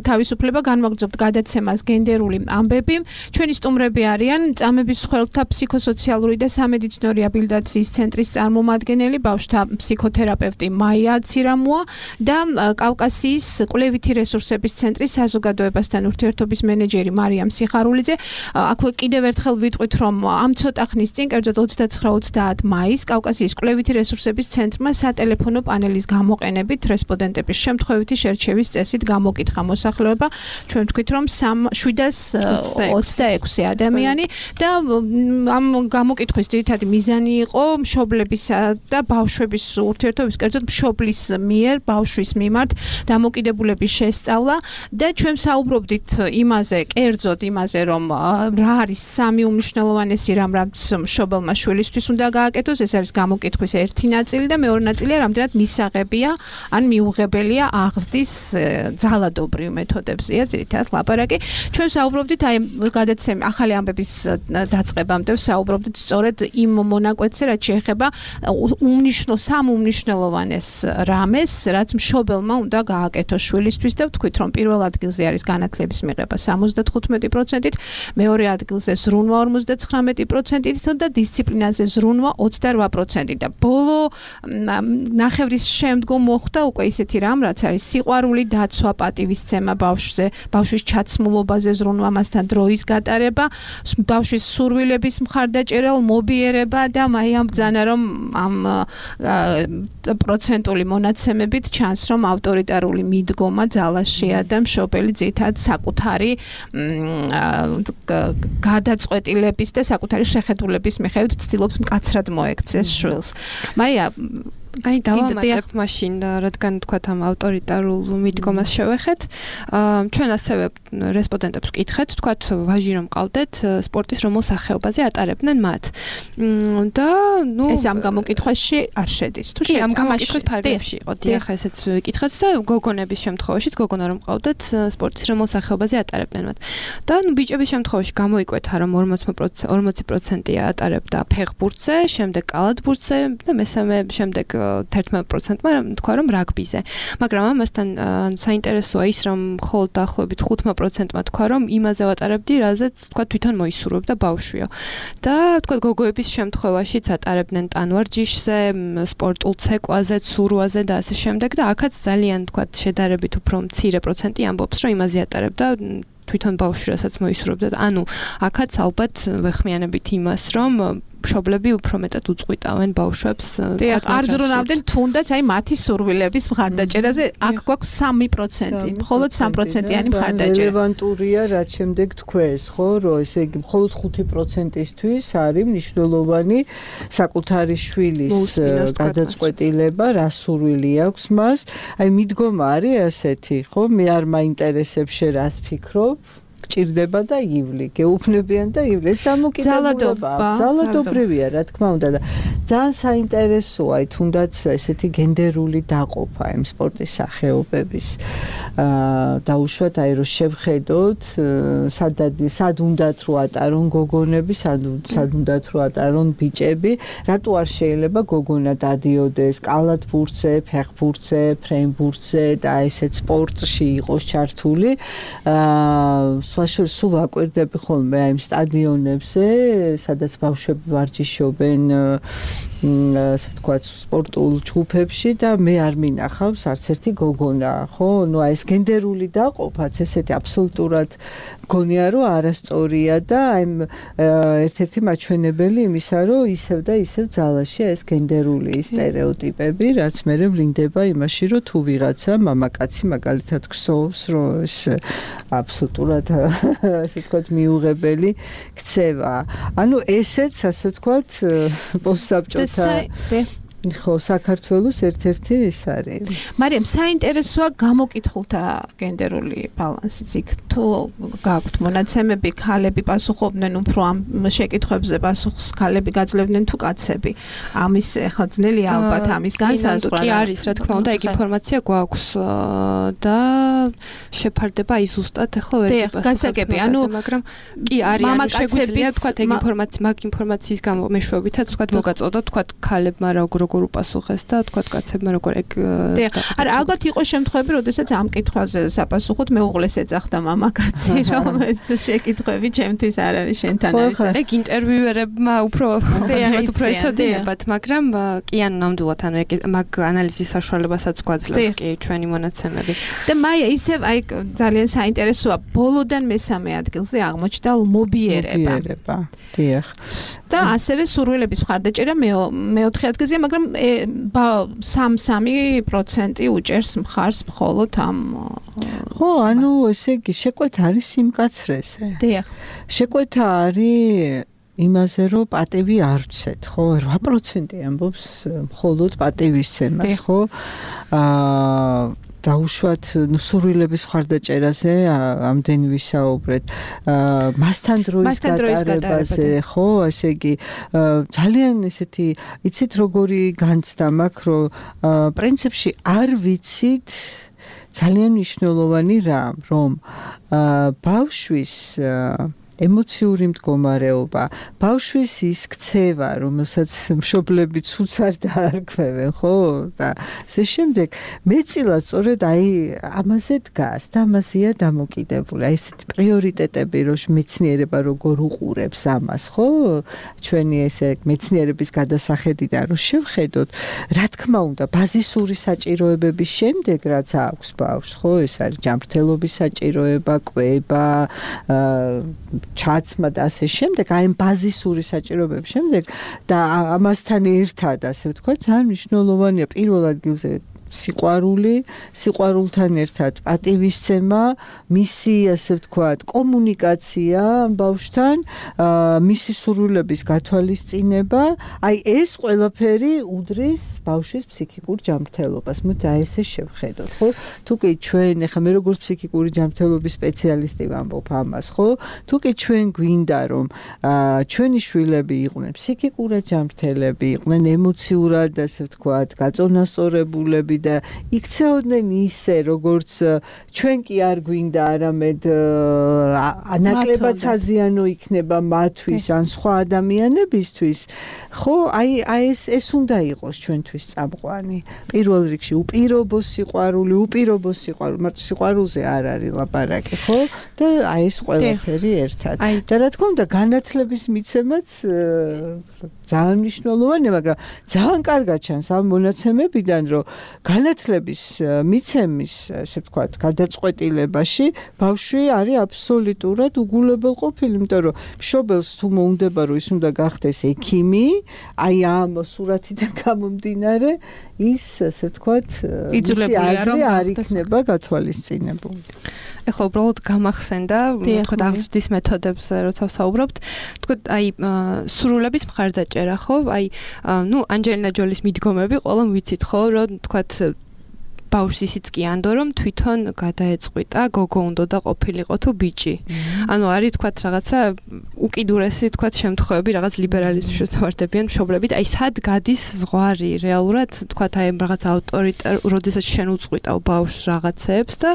თავისუფლება განვაგრძობთ გადაცემას გენდერული ამბები. ჩვენი სტუმრები არიან წამების მსხვერპლთა ფსიქოსოციალური და სამედიცინო რეაბილიტაციის ცენტრის წარმომადგენელი, ბავშვთა ფსიქოთერაპევტი მაია ცირამუა და კავკასიის კვლევითი რესურსების ცენტრის საზოგადოებასთან ურთიერთობის მენეჯერი მარიამ სიხარულიძე. აქვე კიდევ ერთხელ ვიტყვით, რომ ამ ცოტა ხნის წინ, კერძოდ ოცდაცხრა ოცდაათ მაისს, კავკასიის კვლევითი რესურსების ცენტრმა სატელეფონო პანელის გამოყენებით რესპონდენტების შემთხვევითი შერჩევის წესით გამოკითხა მოსახლეობა. ჩვენ ვთქვით, რომ შვიდას ოცდაექვსი ადამიანი და ამ გამოკითხვის ძირითადი მიზანი იყო მშობლებისა და ბავშვების ურთიერთობის, კერძოდ მშობლის მიერ ბავშვის მიმართ დამოკიდებულების შესწავლა და ჩვენ საუბრობდით იმაზე, კერძოდ იმაზე, რომ რა არის სამი უმნიშვნელოვანესი რამ, რაც მშობელმა შვილისთვის უნდა გააკეთოს. ეს არის გამოკითხვის ერთი ნაწილი და მეორე ნაწილია რამდენად მისაღებია ან მიუღებელია აღზრდის ძალადობრივ მეთოდებზეა ძირითადად ლაპარაკი. ჩვენ საუბრობდით აი გადაცემ ახალი ამბების დაწყებამდე საუბრობდით სწორედ იმ მონაკვეთზე, რაც შეეხება უმნიშვნელო სამ უმნიშვნელოვანეს რამეს, რაც მშობელმა უნდა გააკეთოს შვილისთვის და ვთქვით, რომ პირველ ადგილზე არის განათლების მიღება სამოცდათხუთმეტი პროცენტით, მეორე ადგილზე ზრუნვა ორმოცდაცხრამეტი პროცენტით და დისციპლინაზე ზრუნვა ოცდარვა პროცენტით და ბოლო ნახევრის შემდგომ მოხდა უკვე ისეთი რამ, რაც არის სიყვარული დაცვა, პატივისცემა ბავშვზე, ბავშვის ჩაცმულობაზე ზრუნვა, მასთან დროის გატარება, ბავშვის სურვილების მხარდაჭერა, მობიერება და მაიამ ბრძანა, რომ ამ პროცენტული მონაცემებით ჩანს, რომ ავტორიტარული მიდგომა ძალაშია და მშობელი ძირითადად საკუთარი გადაწყვეტილების და საკუთარი შეხედულების მიხედვით ცდილობს მკაცრად მოექცეს შვილს. მაია, აი დავამატებ მაშინ რადგან თქვათ ამ ავტორიტარულ მიდგომას შევეხეთ ჩვენ ასევე რესპონდენტებს ვკითხეთ თქვათ ვაჟი რომ ყავდეთ სპორტის რომელ სახეობაზე ატარებდნენ მათ და ნუ ეს ამ გამოკითხვაში არ შედის თუ კი ამ გამოკითხვის ფარგლებში იყო დიახ ესეც ვიკითხეთ და გოგონების შემთხვევაშიც გოგონა რომ ყავდეთ სპორტის რომელ სახეობაზე ატარებდნენ მათ და ნუ ბიჭების შემთხვევაში გამოიკვეთა რომ ორმოცი პროცენტი ატარებდა ფეხბურთზე შემდეგ კალათბურთზე და მესამე შემდეგ თერთმეტ პროცენტმა თქვა რომ რაგბიზე მაგრამ ამასთან საინტერესოა ის რომ მხოლოდ დაახლოებით ხუთმა პროცენტმა თქვა რომ იმაზე ვატარებდი რაზეც თქვა თვითონ მოისურვებდა ბავშვიო და თქვა გოგოების შემთხვევაშიც ატარებდნენ ტანვარჯიშზე სპორტულ ცეკვაზე ცურვაზე და ასე შემდეგ და აქაც ძალიან თქვა შედარებით უფრო მცირე პროცენტი ამბობს რომ იმაზე ატარებდა თვითონ ბავშვი რასაც მოისურვებდა ანუ აქაც ალბათ ვეხმიანებით იმას რომ მშობლები უფრო მეტად უწყვიტავენ ბავშვებს დიახ არ ზრუნავდნენ თუნდაც აი მათი სურვილების მხარდაჭერაზე აქ გვაქვს სამი პროცენტი მხოლოდ სამი პროცენტიანი მხარდაჭერა რელევანტურია რაც შემდეგ თქვეს ხო რომ ესე იგი მხოლოდ ხუთი პროცენტისთვის არის მნიშვნელოვანი საკუთარი შვილის გადაწყვეტილება რა სურვილი აქვს მას აი მიდგომა არის ასეთი ხო მე არ მაინტერესებს შე რას ფიქრობ გჭირდება და ივლი, გეუფლებიან და ივლი. ეს დამოკიდებულებაა. ძალადობრივია, რა თქმა უნდა და ძალიან საინტერესოა თუნდაც ესეთი გენდერული დაყოფა იმ სპორტის სახეობების. აა დაუშვათ აი რომ შევხედოთ, სადად სად უნდათ რო ატარონ გოგონები, სად სად უნდათ რო ატარონ ბიჭები, რატო არ შეიძლება გოგონა დადიოდეს კალათბურთზე, ფეხბურთზე, ფრენბურთზე და ესეთ სპორტში იყოს ჩართული. აა სულ სულ აკვირდები ხოლმე აი იმ სტადიონებზე, სადაც ბავშვები ვარჯიშობენ, ასე ვთქვათ, სპორტულ ჯგუფებში და მე არ მინახავს არც ერთი გოგონა, ხო? ნუ აი ეს გენდერული დაყოფაც ესეთი აბსოლუტურად მგონია რომ არასწორია და აი ერთ-ერთი მაჩვენებელი იმისა, რომ ისევ და ისევ ძალაშია ეს გენდერული სტერეოტიპები, რაც მე ვლინდება იმაში, რომ თუ ვიღაცა მამაკაცი მაგალითად ქსოვს, რომ ეს აბსოლუტურად ასე ვთქვათ მიუღებელი ქცევა. ანუ ესეც ასე ვთქვათ პოსტსაბჭოთა ხო საქართველოს ერთ-ერთი ეს არის. მარიამ საინტერესოა გამოკითხულთა გენდერული ბალანსიც იქ თუ გაქვთ მონაცემები ქალები პასუხობდნენ უფრო ამ შეკითხვებზე პასუხს ქალები გაძლევდნენ თუ კაცები ამის ახლა ძნელია ალბათ ამის განსაზღვრა კი არის რა თქმა უნდა ეგ ინფორმაცია გვაქვს და შეფარდება აი ზუსტად ახლა ვერ გასაგები ანუ მაგრამ კი არის ანუ შეგვიძლია თქვა ეგ ინფორმაცია მაგ ინფორმაციის გამო მეშვეობითაც თქვა მოგაწოდა თქვა ქალებმა როგორ უპასუხეს და თქვათ კაცებმა როგორ ეგ არა ალბათ იყო შემთხვევები როდესაც ამ კითხვაზე საპასუხოდ მეუღლეს ეძახდა მამაკაცი რომ ეს შეკითხვები ჩემთვის არ არის შენთან არის ეგ ინტერვიუერებმა უფრო უფრო ეცოდინებათ მაგრამ კი ან ნამდვილად ანუ ეგ მაგ ანალიზის საშუალებასაც გვაძლევს კი ჩვენი მონაცემები და მაია ისევ აი ძალიან საინტერესოა ბოლოდან მესამე ადგილზე აღმოჩნდა მობიერება დიახ და ასევე სურვილების მხარდაჭერა მეოთხე ადგილზეა მაგრამ სამი პროცენტი უჭერს მხარს მხოლოდ ამ ხო ანუ ესე იგი შეკვეთა არის სიმკაცრეზე დიახ შეკვეთა არის იმაზე რომ პატივი არ ვცეთ ხო რვა პროცენტი ამბობს მხოლოდ პატივისცემას ხო აა დაუშვათ სურვილების მხარდაჭერაზე ამდენი ვისაუბრეთ მასთან დროის გატარებაზე ხო ესე იგი ძალიან ესეთი იცით როგორი განცდა მაქვს რომ პრინციპში არ ვიცით ძალიან მნიშვნელოვანი რამ რომ ბავშვის ემოციური მდგომარეობა, ბავშვის ის ქცევა, რომელსაც მშობლები ცუც არ დაარქვევენ, ხო? და ასე შემდეგ, მეწილად სწორედ აი ამაზე დგას და ამაზეა დამოკიდებული. აი ესეთი პრიორიტეტები, რომ მეცნიერება როგორ უყურებს ამას, ხო? ჩვენი ესე მეცნიერების გადასახედიდან რომ შევხედოთ, რა თქმა უნდა, ბაზისური საჭიროებების შემდეგ რაც აქვს ბავშვს, ხო? ეს არის ჯანმრთელობის საჭიროება, კვება, აა ჩაცმა და ასე შემდეგ, აი ამ ბაზისური საჭიროებების შემდეგ და ამასთან ერთად, ასე ვთქვათ, ძალიან მნიშვნელოვანია პირველ ადგილზე სიყვარული, სიყვარულთან ერთად პატივისცემა, მისი ასე ვთქვათ, კომუნიკაცია ბავშვთან, მისი სურვილების გათვალისწინება, აი ეს ყველაფერი უდრის ბავშვის ფსიქიკურ ჯანმრთელობას. მოდი აი ესე შევხედოთ, ხო? თუკი ჩვენ ახლა მე როგორც ფსიქიკური ჯანმრთელობის სპეციალისტი ვამბობ ამას, ხო? თუკი ჩვენ გვინდა რომ ჩვენი შვილები იყვნენ ფსიქიკურად ჯანმრთელები, იყვნენ ემოციურად, ასე ვთქვათ, გაწონასწორებულები და იქცეოდნენ ისე, როგორც ჩვენ კი არ გვინდა, არამედ ანაკლებად საზიანო იქნება მათთვის ან სხვა ადამიანებისთვის, ხო, აი აი ეს ეს უნდა იყოს ჩვენთვის წამყვანი. პირველ რიგში უპირობო სიყვარული, უპირობო სიყვარული, მარტო სიყვარულზე არ არის ლაპარაკი, ხო? და აი ეს ყველაფერი ერთად. და რა თქმა უნდა, განათლების მიცემაც ძალიან მნიშვნელოვანია, მაგრამ ძალიან კარგად ჩანს ამ მონაცემებიდან, რომ განათლების მიცემის, ასე ვთქვათ, გადაწყვეტილებაში ბავშვი არის აბსოლუტურად უგულებელყოფილი, იმიტომ რომ მშობელს თუ მოუნდება, რომ ის უნდა გახდეს ექიმი, აი ამ სურათიდან გამომდინარე, ის, ასე ვთქვათ, მისი აზრი არ იქნება გათვალისწინებული. ეხლა უბრალოდ გამახსენდა, თქვა აღზრდის მეთოდებზე როცა ვსაუბრობთ, თქვა აი სურვილების მხარდაჭერა, ხო? აი ნუ ანჯელინა ჯოლის მიდგომები ყველამ ვიცით, ხო, რომ თქვა ბავშვს ისიც კი ანდო რომ თვითონ გადაეწყვიტა გოგო უნდა და ყოფილიყო თუ ბიჭი. ანუ არის თქვა რაღაცა უკიდურესი თქვა შემთხვევები, რაღაც ლიბერალიზმის შესაძლებიან მშობლებით, აი სად გადის ზღვარი რეალურად თქვა აი რაღაც ავტორიტარ, როდესაც შენ უწყვიტავ ბავშვს რაღაცებს და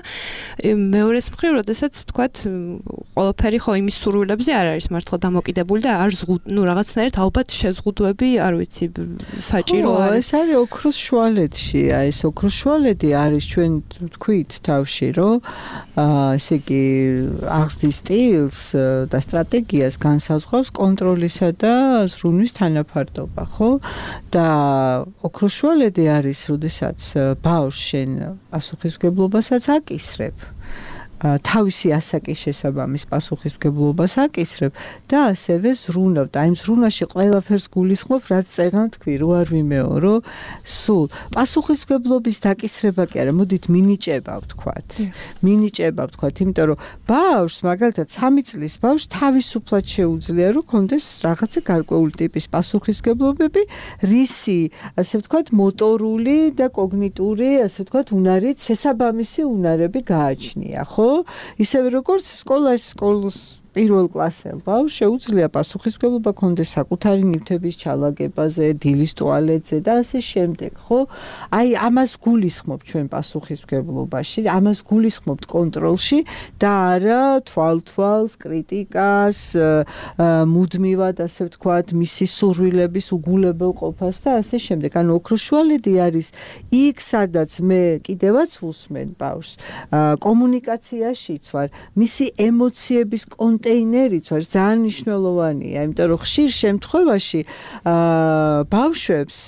მეორეს მხრივ, როდესაც თქვა ყველაფერი ხო იმის სურვილებზე არ არის მართლა დამოკიდებული და არ ზღუდ, ნუ რაღაცნაირად ალბათ შეზღუდვები, არ ვიცი, საჭირო არის. ეს არის ოქროს შუალედში, აი ეს ოქროს შუალედი არის ჩვენ თქვით თავში, რომ ესე იგი აღზრდის სტილს და სტრატეგიას განსაზღვრავს კონტროლისა და ზრუნვის თანაფარდობა, ხო? და ოქროს შუალედი არის, როდესაც ბავშვს შენ პასუხისმგებლობასაც აკისრებ. თავისი ასაკის შესაბამის პასუხისმგებლობას აკისრებ და ასევე ზრუნავ და იმ ზრუნვაში ყველაფერს გულისხმობ, რაც წეგან თქვი, რო არ ვიმეორო, სულ პასუხისმგებლობის დაკისრება კი არა, მოდით მინიჭება ვთქვათ. მინიჭება ვთქვათ, იმიტომ რომ ბავშვს მაგალითად სამი წლის ბავშვს თავისუფლად შეუძლია, რომ კონდეს რაღაცა გარკვეული ტიპის პასუხისმგებლობები, რისი, ასე ვთქვათ, მოტორული და კოგნიტური, ასე ვთქვათ, უნარით შესაბამისი უნარები გააჩნია, ხო? ისევე როგორც სკოლაში სკოლის პირველ კლასელ ბავშვს შეუძლია პასუხისმგებლობა კონდეს საკუთარი ნივთების ჩალაგებაზე, დილის ტუალეტზე და ასე შემდეგ, ხო? აი ამას გულისხმობ ჩვენ პასუხისმგებლობაში, ამას გულისხმობთ კონტროლში და არა თვალთვალს, კრიტიკას, მუდმივად, ასე ვთქვათ, მისი სურვილების უგულებელყოფას და ასე შემდეგ. ანუ ოქროს შუალედი არის იქ, სადაც მე კიდევაც ვუსმენ ბავშვს, კომუნიკაციაშიც ვარ, მისი ემოციების კონტეინერიც ვარ, ძალიან მნიშვნელოვანია, იმიტომ რომ ხშირ შემთხვევაში ბავშვებს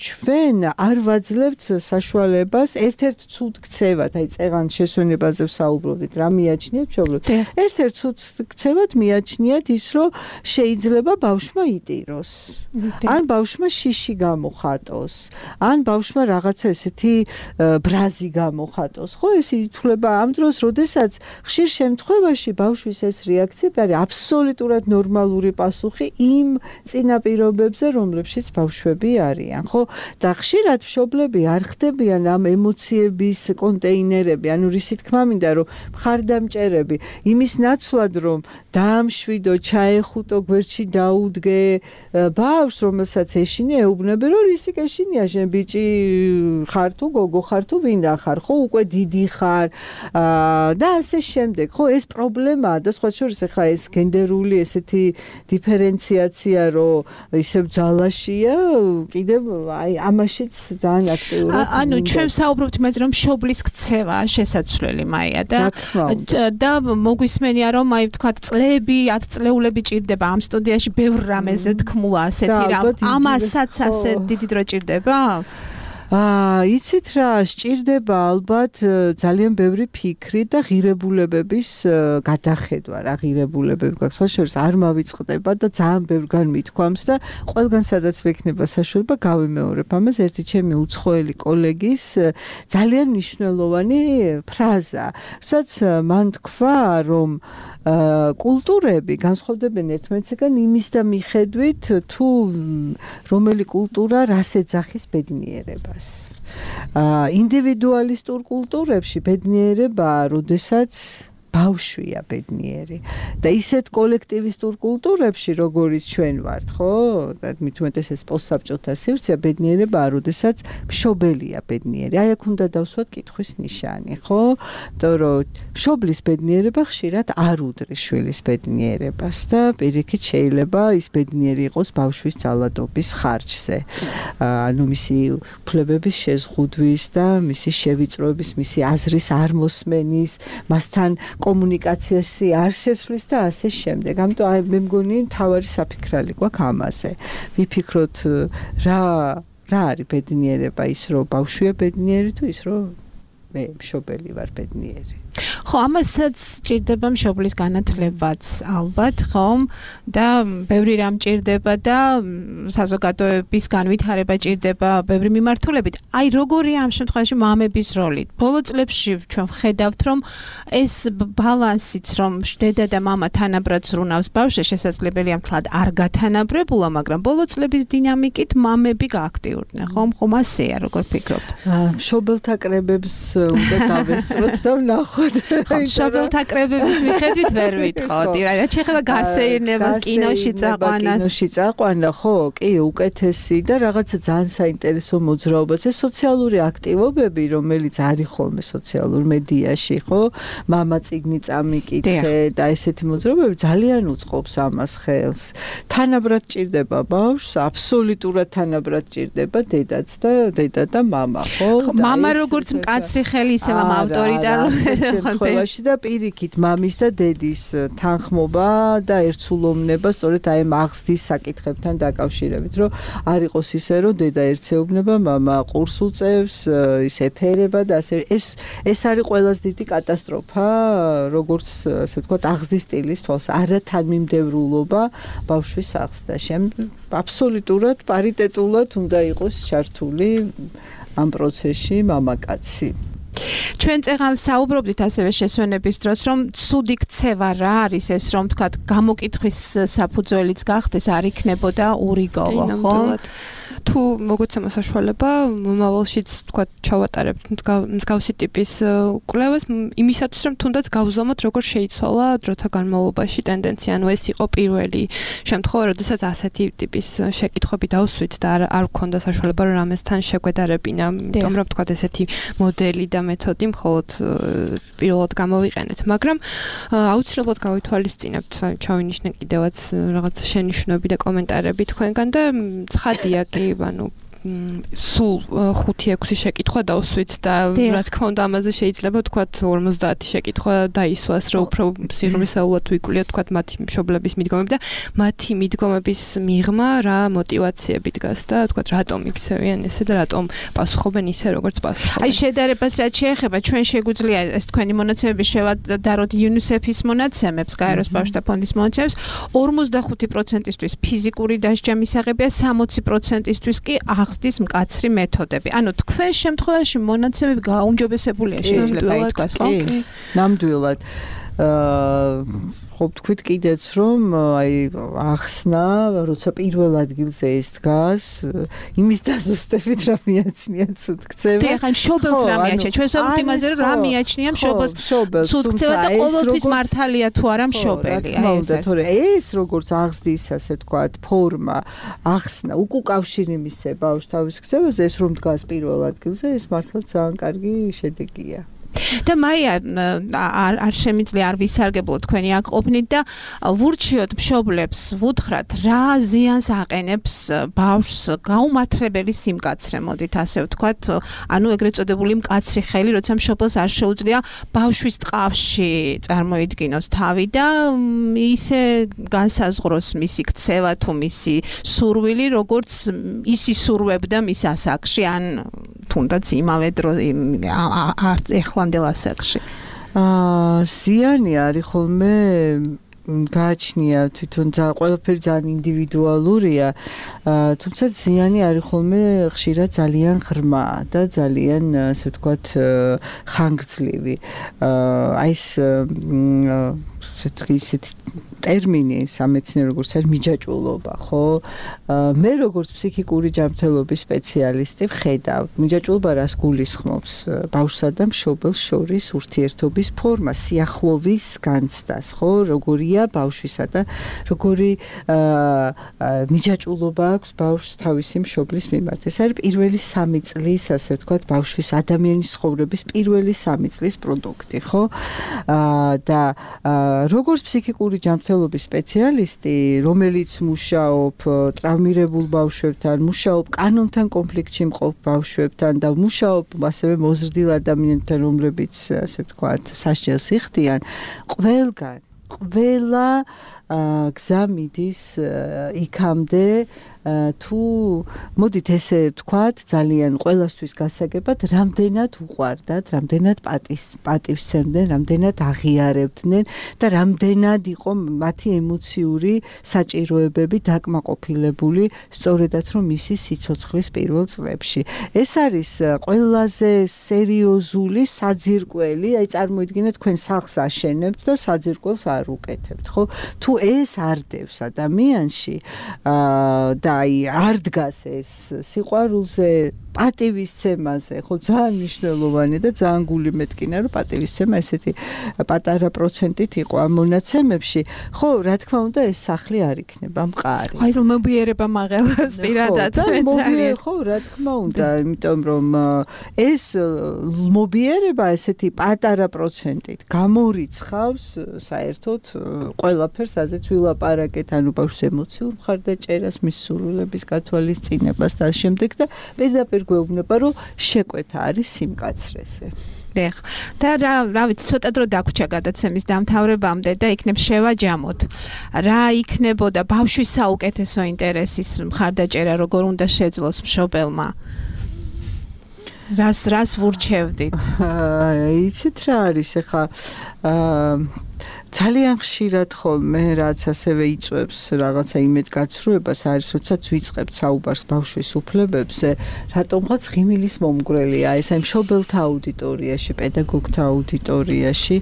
ჩვენ არ ვაძლევთ საშუალებას ერთ-ერთ ცუდ ქცევად, აი წეღან შესვენებაზე ვსაუბრობდით, რა მიაჩნიათ მშობლებს? ერთ-ერთ ცუდ ქცევად მიაჩნიათ ის, რომ შეიძლება ბავშვმა იტიროს, ან ბავშვმა შიში გამოხატოს, ან ბავშვმა რაღაცა ესეთი ბრაზი გამოხატოს, ხო, ეს ითვლება ამ დროს, როდესაც ხშირ შემთხვევაში ბავშვის ეს რეაქცია არის აბსოლუტურად ნორმალური პასუხი იმ წინაპირობებზე, რომლებშიც ბავშვები არიან, ხო? და ხშირად მშობლები არ ხდებიან ამ ემოციების კონტეინერები, ანუ რისი თქმა მინდა, რომ მხარდამჭერები, იმის ნაცვლად, რომ დაამშვიდო, ჩაეხუტო, გვერდში დაუდგე ბავშვს, რომელსაც ეშინია, ეუბნები, რომ რისი გეშინია, შენ ბიჭი ხარ თუ გოგო ხარ თუ ვინა ხარ, ხო, უკვე დიდი ხარ და ასე შემდეგ, ხო, ეს პრობლემაა და სხვა შორის ხა ეს გენდერული ესეთი დიფერენციაცია, რომ ისევ ძალაშია, კიდევ აი ამაშიც ძალიან აქტიურად. ანუ ჩვენ საუბრობთ იმაზე, რომ მშობლის ქცევა შესაძლებელი მაია და და მოგვისმენია, რომ აი ვთქვათ, წლები, ათწლეულები ჭირდება ამ სტუდიაში ბევრ რამეზე თქმულა ასეთი რამ. ამასაც ასე დიდი დრო ჭირდება? აა, იცით რა, სჭირდება ალბათ ძალიან ბევრი ფიქრი და ღირებულებების გადახედვა, რა ღირებულებები გაქვს. სხვა შორის არ მავიწყდება და ძალიან ბევრგან მithქვამს და ყველგან სადაც მექნება საშუალება გავიმეორებ ამას. ერთი ჩემი უცხოელი კოლეგის ძალიან მნიშვნელოვანი ფრაზა, სადაც მან თქვა, რომ კულტურები განსხვავდებიან ერთმანეთისგან იმის და მიხედვით თუ რომელი კულტურა რას ეძახის ბედნიერებას. ინდივიდუალისტურ კულტურებში ბედნიერებაა, როდესაც ბავშვია ბედნიერი და ისეთ კოლექტივისტურ კულტურებში, როგორიც ჩვენ ვართ, ხო? და მით უმეტესეს პოსტსაბჭოთა სივრცეა, ბედნიერებაა, როდესაც მშობელია ბედნიერი. აი აქ უნდა დავსვათ კითხვის ნიშანი, ხო? იმიტომ რომ მშობლის ბედნიერება ხშირად არ უდრის შვილის ბედნიერებას და პირიქით შეიძლება ის ბედნიერი იყოს ბავშვის ძალადობის ხარჯზე. ანუ მისი უფლებების შეზღუდვის და მისი შევიწროების, მისი აზრის არ მოსმენის, მასთან კომუნიკაციაში არ შესვლის და ასე შემდეგ. ამიტომ აი მე მგონი თავარი საფიქრალი გვაქვს ამაზე. ვიფიქროთ რა რა არის ბედნიერება, ის რომ ბავშვია ბედნიერი თუ ის რომ მე მშობელი ვარ ბედნიერი. ხო, ამასაც ჭირდება მშობლის განათლებაც ალბათ, ხომ? და ბევრი რამ ჭირდება და საზოგადოების განვითარება ჭირდება ბევრი მიმართულებით. აი, როგორია ამ შემთხვევაში მამების როლი? ბოლო წლებში ჩვენ ვხედავთ, რომ ეს ბალანსიც, რომ დედა და მამა თანაბრად ზრუნავს ბავშვს, შესაძლებელია მთლად არ გათანაბრებულა, მაგრამ ბოლო წლების დინამიკით მამები გააქტიურდნენ, ხომ? ხომ ასეა, როგორ ფიქრობთ? მშობელთა კრებებს უნდა დავესწროთ და ვნახოთ. მშობელთა კრებების მიხედვით ვერ ვიტყოდი, რა შეიძლება გასეირნებას კინოში წაყვანას. კინოში წაყვანა, ხო, კი, უკეთესი და რაღაცა ძალიან საინტერესო მოძრაობაც. ეს სოციალური აქტივობები, რომელიც არის ხოლმე სოციალურ მედიაში, ხო? მამა წიგნი წამიკითხე და ესეთი მოძრაობები ძალიან უწყობს ამას ხელს. თანაბრად ჭირდება ბავშვს, აბსოლუტურად თანაბრად ჭირდება დედაც და დედა და მამა, ხო? მამა როგორც მკაცრი ხელი, ისე მამა ავტორიტარული შემთხვევაში და პირიქით მამის და დედის თანხმობა და ერთსულოვნება სწორედ აი მაღზდის საკითხებთან დაკავშირებით, რომ არ იყოს ისე, რომ დედა ერთსეუბნება, მამა ყურს უწევს, ის ეფერება და ასე. ეს ეს არის ყველაზე დიდი კატასტროფა, როგორც ასე ვთქვათ, აღზრდის სტილის თვალს, არათანმიმდევრულობა ბავშვის აღზრდაში. აბსოლუტურად პარიტეტულად უნდა იყოს ჩართული ამ პროცესში მამაკაცი. ჩვენ წეღან საუბრობდით ასევე შესვენების დროს, რომ ცუდი ქცევა რა არის ეს, რომ თქვათ გამოკითხვის საფუძველიც გახდეს, არ იქნებოდა ურიგოლო, ხო? თუ მოგეცემა საშუალება, მომავალშიც თქვათ ჩავატარებთ მსგავსი ტიპის კვლევას, იმისათვის რომ თუნდაც გავზომოთ, როგორ შეიცვალა დროთა განმავლობაში ტენდენცია, ანუ ეს იყო პირველი შემთხვევა, როდესაც ასეთი ტიპის შეკითხვები დავსვით და არ არ გქონდა საშუალება რომ ამასთან შეგვედარებინა, იმიტომ რომ თქვათ ესეთი მოდელი და მეთოდი მხოლოდ პირველად გამოვიყენეთ, მაგრამ აუცილებლად გავითვალისწინებთ, ჩავინიშნე კიდევაც რაღაც შენიშვნები და კომენტარები თქვენგან და ცხადია კი ანუ სულ ხუთი ექვსი შეკითხვა დავსვით და რა თქმა უნდა ამაზე შეიძლება თქვათ ორმოცდაათი შეკითხვა დაისვას, რომ უფრო სიღრმისეულად ვიკვლია თქვათ მათი მშობლების მიდგომები და მათი მიდგომების მიღმა რა მოტივაციები დგას და თქვათ რატომ იქცევიან ესე და რატომ პასუხობენ ისე როგორც პასუხობენ. აი შედარებას რაც შეეხება, ჩვენ შეგვიძლია ეს თქვენი მონაცემები შევადაროთ იუნისეფის მონაცემებს, გაეროს ბავშვთა ფონდის მონაცემებს, ორმოცდახუთი პროცენტისთვის ფიზიკური დასჯა მისაღებია, სამოცი პროცენტისთვის კი აღზრდის მკაცრი მეთოდები. ანუ თქვენ შემთხვევაში მონაცემები გააუმჯობესებულია შეიძლება ითქვას, ხო? ნამდვილად. აა ხო თქვით კიდეც რომ აი ახსნა, როცა პირველ ადგილზე ის დგას, იმის დაზუსტებით რა მიაჩნია ცუდ ქცევა. დიახ, ან მშობელს რა მიაჩნია? ჩვენ ვსაუბრობთ იმაზე, რომ რა მიაჩნია მშობელს ცუდ ქცევა და ყოველთვის მართალია თუ არა მშობელი. აი ეს თორე ეს როგორც აღზრდის ასე ვთქვათ ფორმა, ახსნა, უკუკავშირი მისცე ბავშვს თავის ქცევაზე, ეს რომ დგას პირველ ადგილზე, ეს მართლა ძალიან კარგი შედეგია. და მაია არ არ შემიძლია არ ვისარგებლო თქვენი აქ ყოფნით და ვურჩიოთ მშობლებს ვუთხრათ რა ზიანს აყენებს ბავშვს გაუმართლებელი სიმკაცრე მოდით ასე ვთქვათ ანუ ეგრეთ წოდებული მკაცრი ხელი როცა მშობელს არ შეუძლია ბავშვის ტყავში წარმოიდგინოს თავი და ისე განსაზღვროს მისი ქცევა თუ მისი სურვილი როგორც ისი სურვებდა მის ასაკში ან თუნდაც იმავე დრო ახლანდელ ასაკში აა ზიანი არის ხოლმე გააჩნია თვითონ და ყველაფერი ძალიან ინდივიდუალურია თუმცა ზიანი არის ხოლმე ხშირად ძალიან ღრმა და ძალიან ასე ვთქვათ ხანგრძლივი აი ეს ისეთი ტერმინი სამეცნიერო როგორც არის მიჯაჭვულობა ხო მე როგორც ფსიქიკური ჯანმრთელობის სპეციალისტი ვხედავ მიჯაჭვულობა რას გულისხმობს ბავშვსა და მშობელს შორის ურთიერთობის ფორმა სიახლოვის განცდას ხო როგორია ბავშვისა და როგორი მიჯაჭვულობა აქვს ბავშვს თავისი მშობლის მიმართ ეს არის პირველი სამი წლის ასე ვთქვათ ბავშვის ადამიანის ცხოვრების პირველი სამი წლის პროდუქტი ხო და როგორც ფსიქიკური ჯანმრთელობის სპეციალისტი, რომელიც მუშაობ ტრავმირებულ ბავშვებთან, მუშაობ კანონთან კონფლიქტში მყოფ ბავშვებთან და მუშაობ ასევე მოზრდილ ადამიანთან, რომლებიც ასე ვთქვათ, სასჯელს იხდიან, ყველგან, ყველა გზა მიდის იქამდე თუ მოდით ესე ვთქვათ ძალიან ყველასთვის გასაგებად რამდენად უყვარდათ, რამდენად პატის პატივსცემდნენ, რამდენად აღიარებდნენ და რამდენად იყო მათი ემოციური საჭიროებები დაკმაყოფილებული სწორედაც რომ მისი სიცოცხლის პირველ წლებში. ეს არის ყველაზე სერიოზული საძირკველი, აი წარმოიდგინეთ თქვენ სახლს აშენებთ და საძირკველს არ უკეთებთ, ხო? თუ ეს არ დევს ადამიანში და აი არ დგას ეს სიყვარულზე პატივისცემაზე, ხო ძალიან მნიშვნელოვანი და ძალიან გული მეთკინა რომ პატივისცემა ესეთი პატარა პროცენტით იყო ამ მონაცემებში. ხო, რა თქმა უნდა ეს სახლი არ იქნება მყარი. ხო, ეს მობიერება მაღელებს პირადად მეცარი. ხო, რა თქმა უნდა, იმიტომ რომ ეს მობიერება ესეთი პატარა პროცენტით გამორიცხავს საერთოდ ყველაფერს, რაზეც ვილაპარაკეთ, ანუ ბავშვს ემოციურ მხარდაჭერას, მის სურვილების გათვალისწინებას და ამ შემდეგ და პირდაპირ გვეუბნება რომ შეკვეთა არის სიმკაცრეზე. დიახ. და რა, რა ვიცი, ცოტა დრო დაგვრჩა გადაცემის დამთავრებამდე და იქნებ შევაჯამოთ. რა იქნებოდა ბავშვის საუკეთესო ინტერესის მხარდაჭერა, როგორ უნდა შეძლოს მშობელმა? რას რას ვურჩევდით? იცით რა არის ახლა ძალიან ხშირად ხოლმე რაც ასევე იწვევს რაღაცა იმედგაცრუებას არის როდესაც ვიწყებთ საუბარს ბავშვის უფლებებზე რატომღაც ღიმილის მომგვრელია ეს აი მშობელთა აუდიტორიაში პედაგოგთა აუდიტორიაში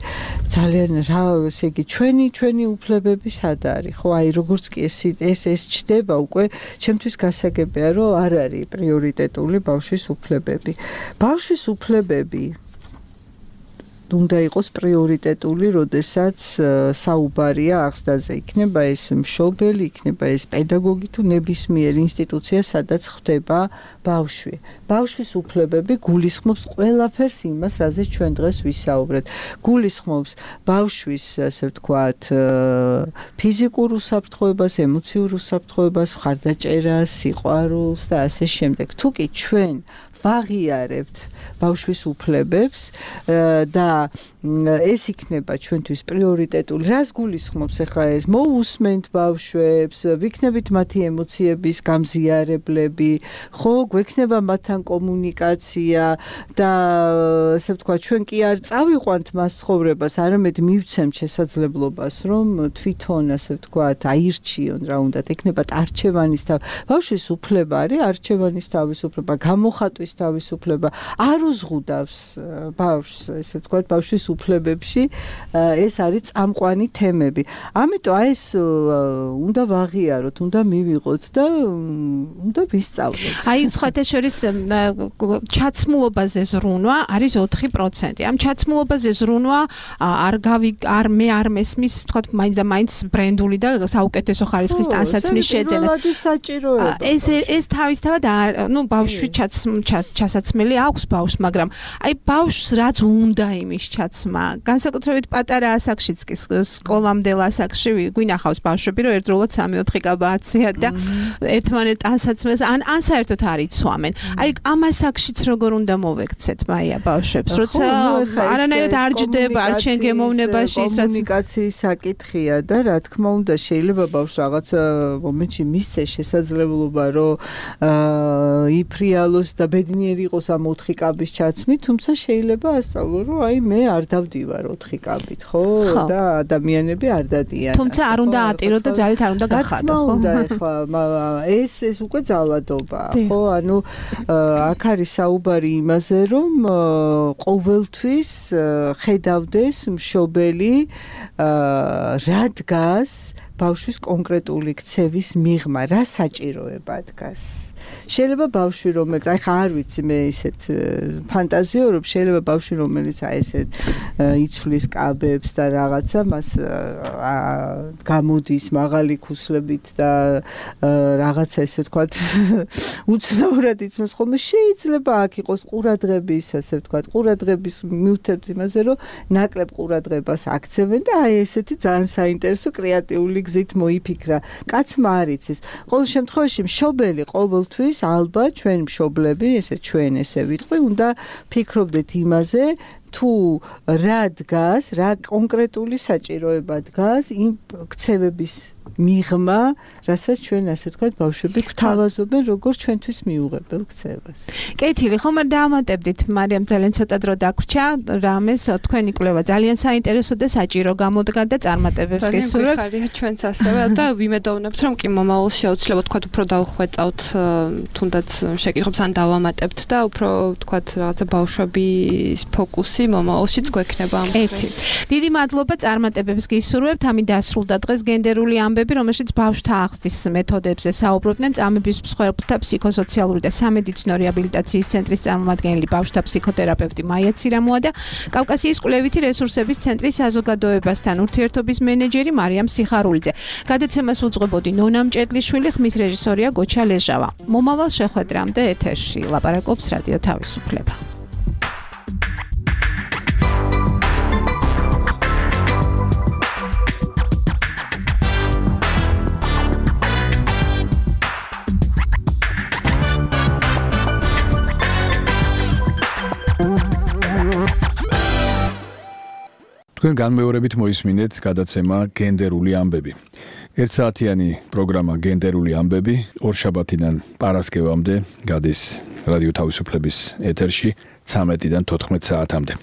ძალიან რა ესე იგი ჩვენი ჩვენი უფლებები სად არის ხო აი როგორც კი ეს ეს ეს ჩდება უკვე ჩემთვის გასაგებია რომ არ არის პრიორიტეტული ბავშვის უფლებები ბავშვის უფლებები უნდა იყოს პრიორიტეტული, როდესაც საუბარია აღზრდაზე. იქნება ეს მშობელი, იქნება ეს პედაგოგი თუ ნებისმიერი ინსტიტუცია, სადაც ხდება ბავშვი. ბავშვის უფლებები გულისხმობს ყველაფერს იმას, რაზეც ჩვენ დღეს ვისაუბრეთ. გულისხმობს ბავშვის, ასე ვთქვათ, ფიზიკურ უსაფრთხოებას, ემოციურ უსაფრთხოებას, მხარდაჭერას, სიყვარულს და ასე შემდეგ. თუ კი ჩვენ ვაღიარებთ ბავშვის უფლებებს და ეს იქნება ჩვენთვის პრიორიტეტული. რას გულისხმობს ახლა ეს? მოусმენთ ბავშვებს, ვიქნებით მათი ემოციების გამზიარებლები, ხო, გვექნება მათთან კომუნიკაცია და ასე ვთქვათ, ჩვენ კი არ წავიყვანთ მას ცხოვრებას, არამედ მივცემთ შესაძლებლობას, რომ თვითონ ასე ვთქვათ, აირჩიონ რა უნდათ, ექნებათ არჩევანის თავი. ბავშვის უფლება არის არჩევანის თავისუფლება, გამოხატვის თავისუფლება. არ უზღუდავს ბავშვს, ესე ვთქვათ, ბავშვის უფლებებში ეს არის წამყვანი თემები. ამიტომ აი ეს უნდა ვაღიაროთ, უნდა მივიღოთ და უნდა ვისწავლოთ. აი სხვათა შორის ჩაცმულობაზე ზრუნვა არის ოთხი პროცენტი. ამ ჩაცმულობაზე ზრუნვა არ გავი არ მე არ მესმის, ვთქვათ, მაინც და მაინც ბრენდული და საუკეთესო ხარისხის ტანსაცმლის შეძენას. ეს საჭიროება. ეს ეს თავისთავად ნუ ბავშვი ჩაც ჩასაცმელი აქვს ბავშვს, მაგრამ აი ბავშვს რაც უნდა იმის ჩაცმა. განსაკუთრებით პატარა ასაკშიც კი სკოლამდელ ასაკში გვინახავს ბავშვები, რომ ერთდროულად სამი ოთხი კაბა აციან და ერთმანეთ ასაცმელს ან ან საერთოდ არ იცვამენ. აი ამ ასაკშიც როგორ უნდა მოვექცეთ მაია ბავშვებს, როცა არანაირად არ ჯდება, არ ჩვენ გემოვნებაში ის რაც კომუნიკაციის საკითხია და რა თქმა უნდა შეიძლება ბავშვს რაღაც მომენტში მისცეს შესაძლებლობა რომ იფრიალოს და ბედნიერი იყოს ამ ოთხი კაბის ჩაცმით, თუმცა შეიძლება ასწავლო რომ აი მე არ დავდივარ ოთხი კაბით, ხო? და ადამიანები არ დადიან. თუმცა არ უნდა ატირო და ძალით არ უნდა გახადო, ხო? უნდა ეხლა ეს ეს უკვე ძალადობაა, ხო? ანუ აქ არის საუბარი იმაზე, რომ ყოველთვის ხედავდეს მშობელი რა დგას ბავშვის კონკრეტული ქცევის მიღმა, რა საჭიროება დგას. შეიძლება ბავშვი რომელიც აი ხა არ ვიცი მე ისეთ ფანტაზიორობ, შეიძლება ბავშვი რომელიც აი ესეთ იცვლის კაბებს და რაღაცა მას გამოდის მაღალი ქუსლებით და რაღაცა ესე ვთქვათ უცნაურად იცნობს ხოლმე, შეიძლება აქ იყოს ყურადღების ასე ვთქვათ ყურადღების მივთებთ იმაზე რომ ნაკლებ ყურადღებას აქცევენ და აი ესეთი ძალიან საინტერესო კრეატიული გზით მოიფიქრა. კაცმა არ იცის. ყოველ შემთხვევაში მშობელი ყოველთვის ალბათ ჩვენ მშობლები, ესე ჩვენ ესე ვიტყვი, უნდა ფიქრობდეთ იმაზე, თუ რა დგას, რა კონკრეტული საჭიროება დგას იმ ქცევების მიღმა, რასაც ჩვენ ასე ვთქვათ, ბავშვები გვთავაზობენ, როგორც ჩვენთვის მიუღებელ ქცევას. კეთილი, ხომ არ დაამატებდით, მარიამ ძალიან ცოტა დრო დაგვრჩა, რამეს თქვენი კვლევა ძალიან საინტერესო და საჭირო გამოდგა და წარმატებებს გესურვებთ. ხარია ჩვენც ასევე და ვიმედოვნებთ, რომ კი მომავალში აუცილებლად თქვათ უფრო დავხვეწავთ, თუნდაც შეკითხვებს ან დავამატებთ და უფრო თქვათ რაღაცა ბავშვების ფოკუსი მომავალშიც გვექნება. ეთი. დიდი მადლობა წარმატებებს გისურვებთ. ამით დასრულდა დღეს გენდერული ამბები, რომელშიც ბავშვთა აღზრდის მეთოდებზე საუბრობდნენ წამების მსხვერპლთა ფსიქოსოციალური და სამედიცინო რეაბილიტაციის ცენტრის წარმომადგენელი ბავშვთა ფსიქოთერაპევტი მაია ცირამოა და კავკასიის კვლევითი რესურსების ცენტრის საზოგადოებასთან ურთიერთობის მენეჯერი მარიამ სიხარულიძე. გადაცემას უძღვებოდი ნონა მჭედლიშვილი, ხმის რეჟისორია გოჩა ლეჟავა. მომავალ შეხვედრამდე ეთერში ლაპარაკობს რადიო თავისუფლება. თქვენ განმეორებით მოისმინეთ გადაცემა გენდერული ამბები. ერთ საათიანი პროგრამა გენდერული ამბები ორშაბათიდან პარასკევამდე გადის რადიო თავისუფლების ეთერში ცამეტიდან თოთხმეტ საათამდე.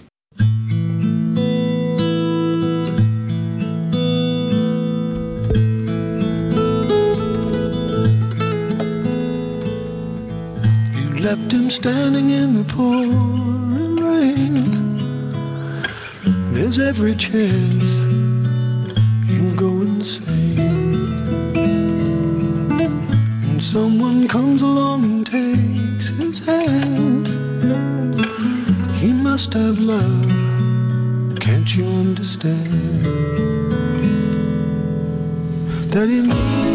You left him standing in the pouring rain. There's every chance he'll go insane. And someone comes along and takes his hand. He must have love, can't you understand? That he needs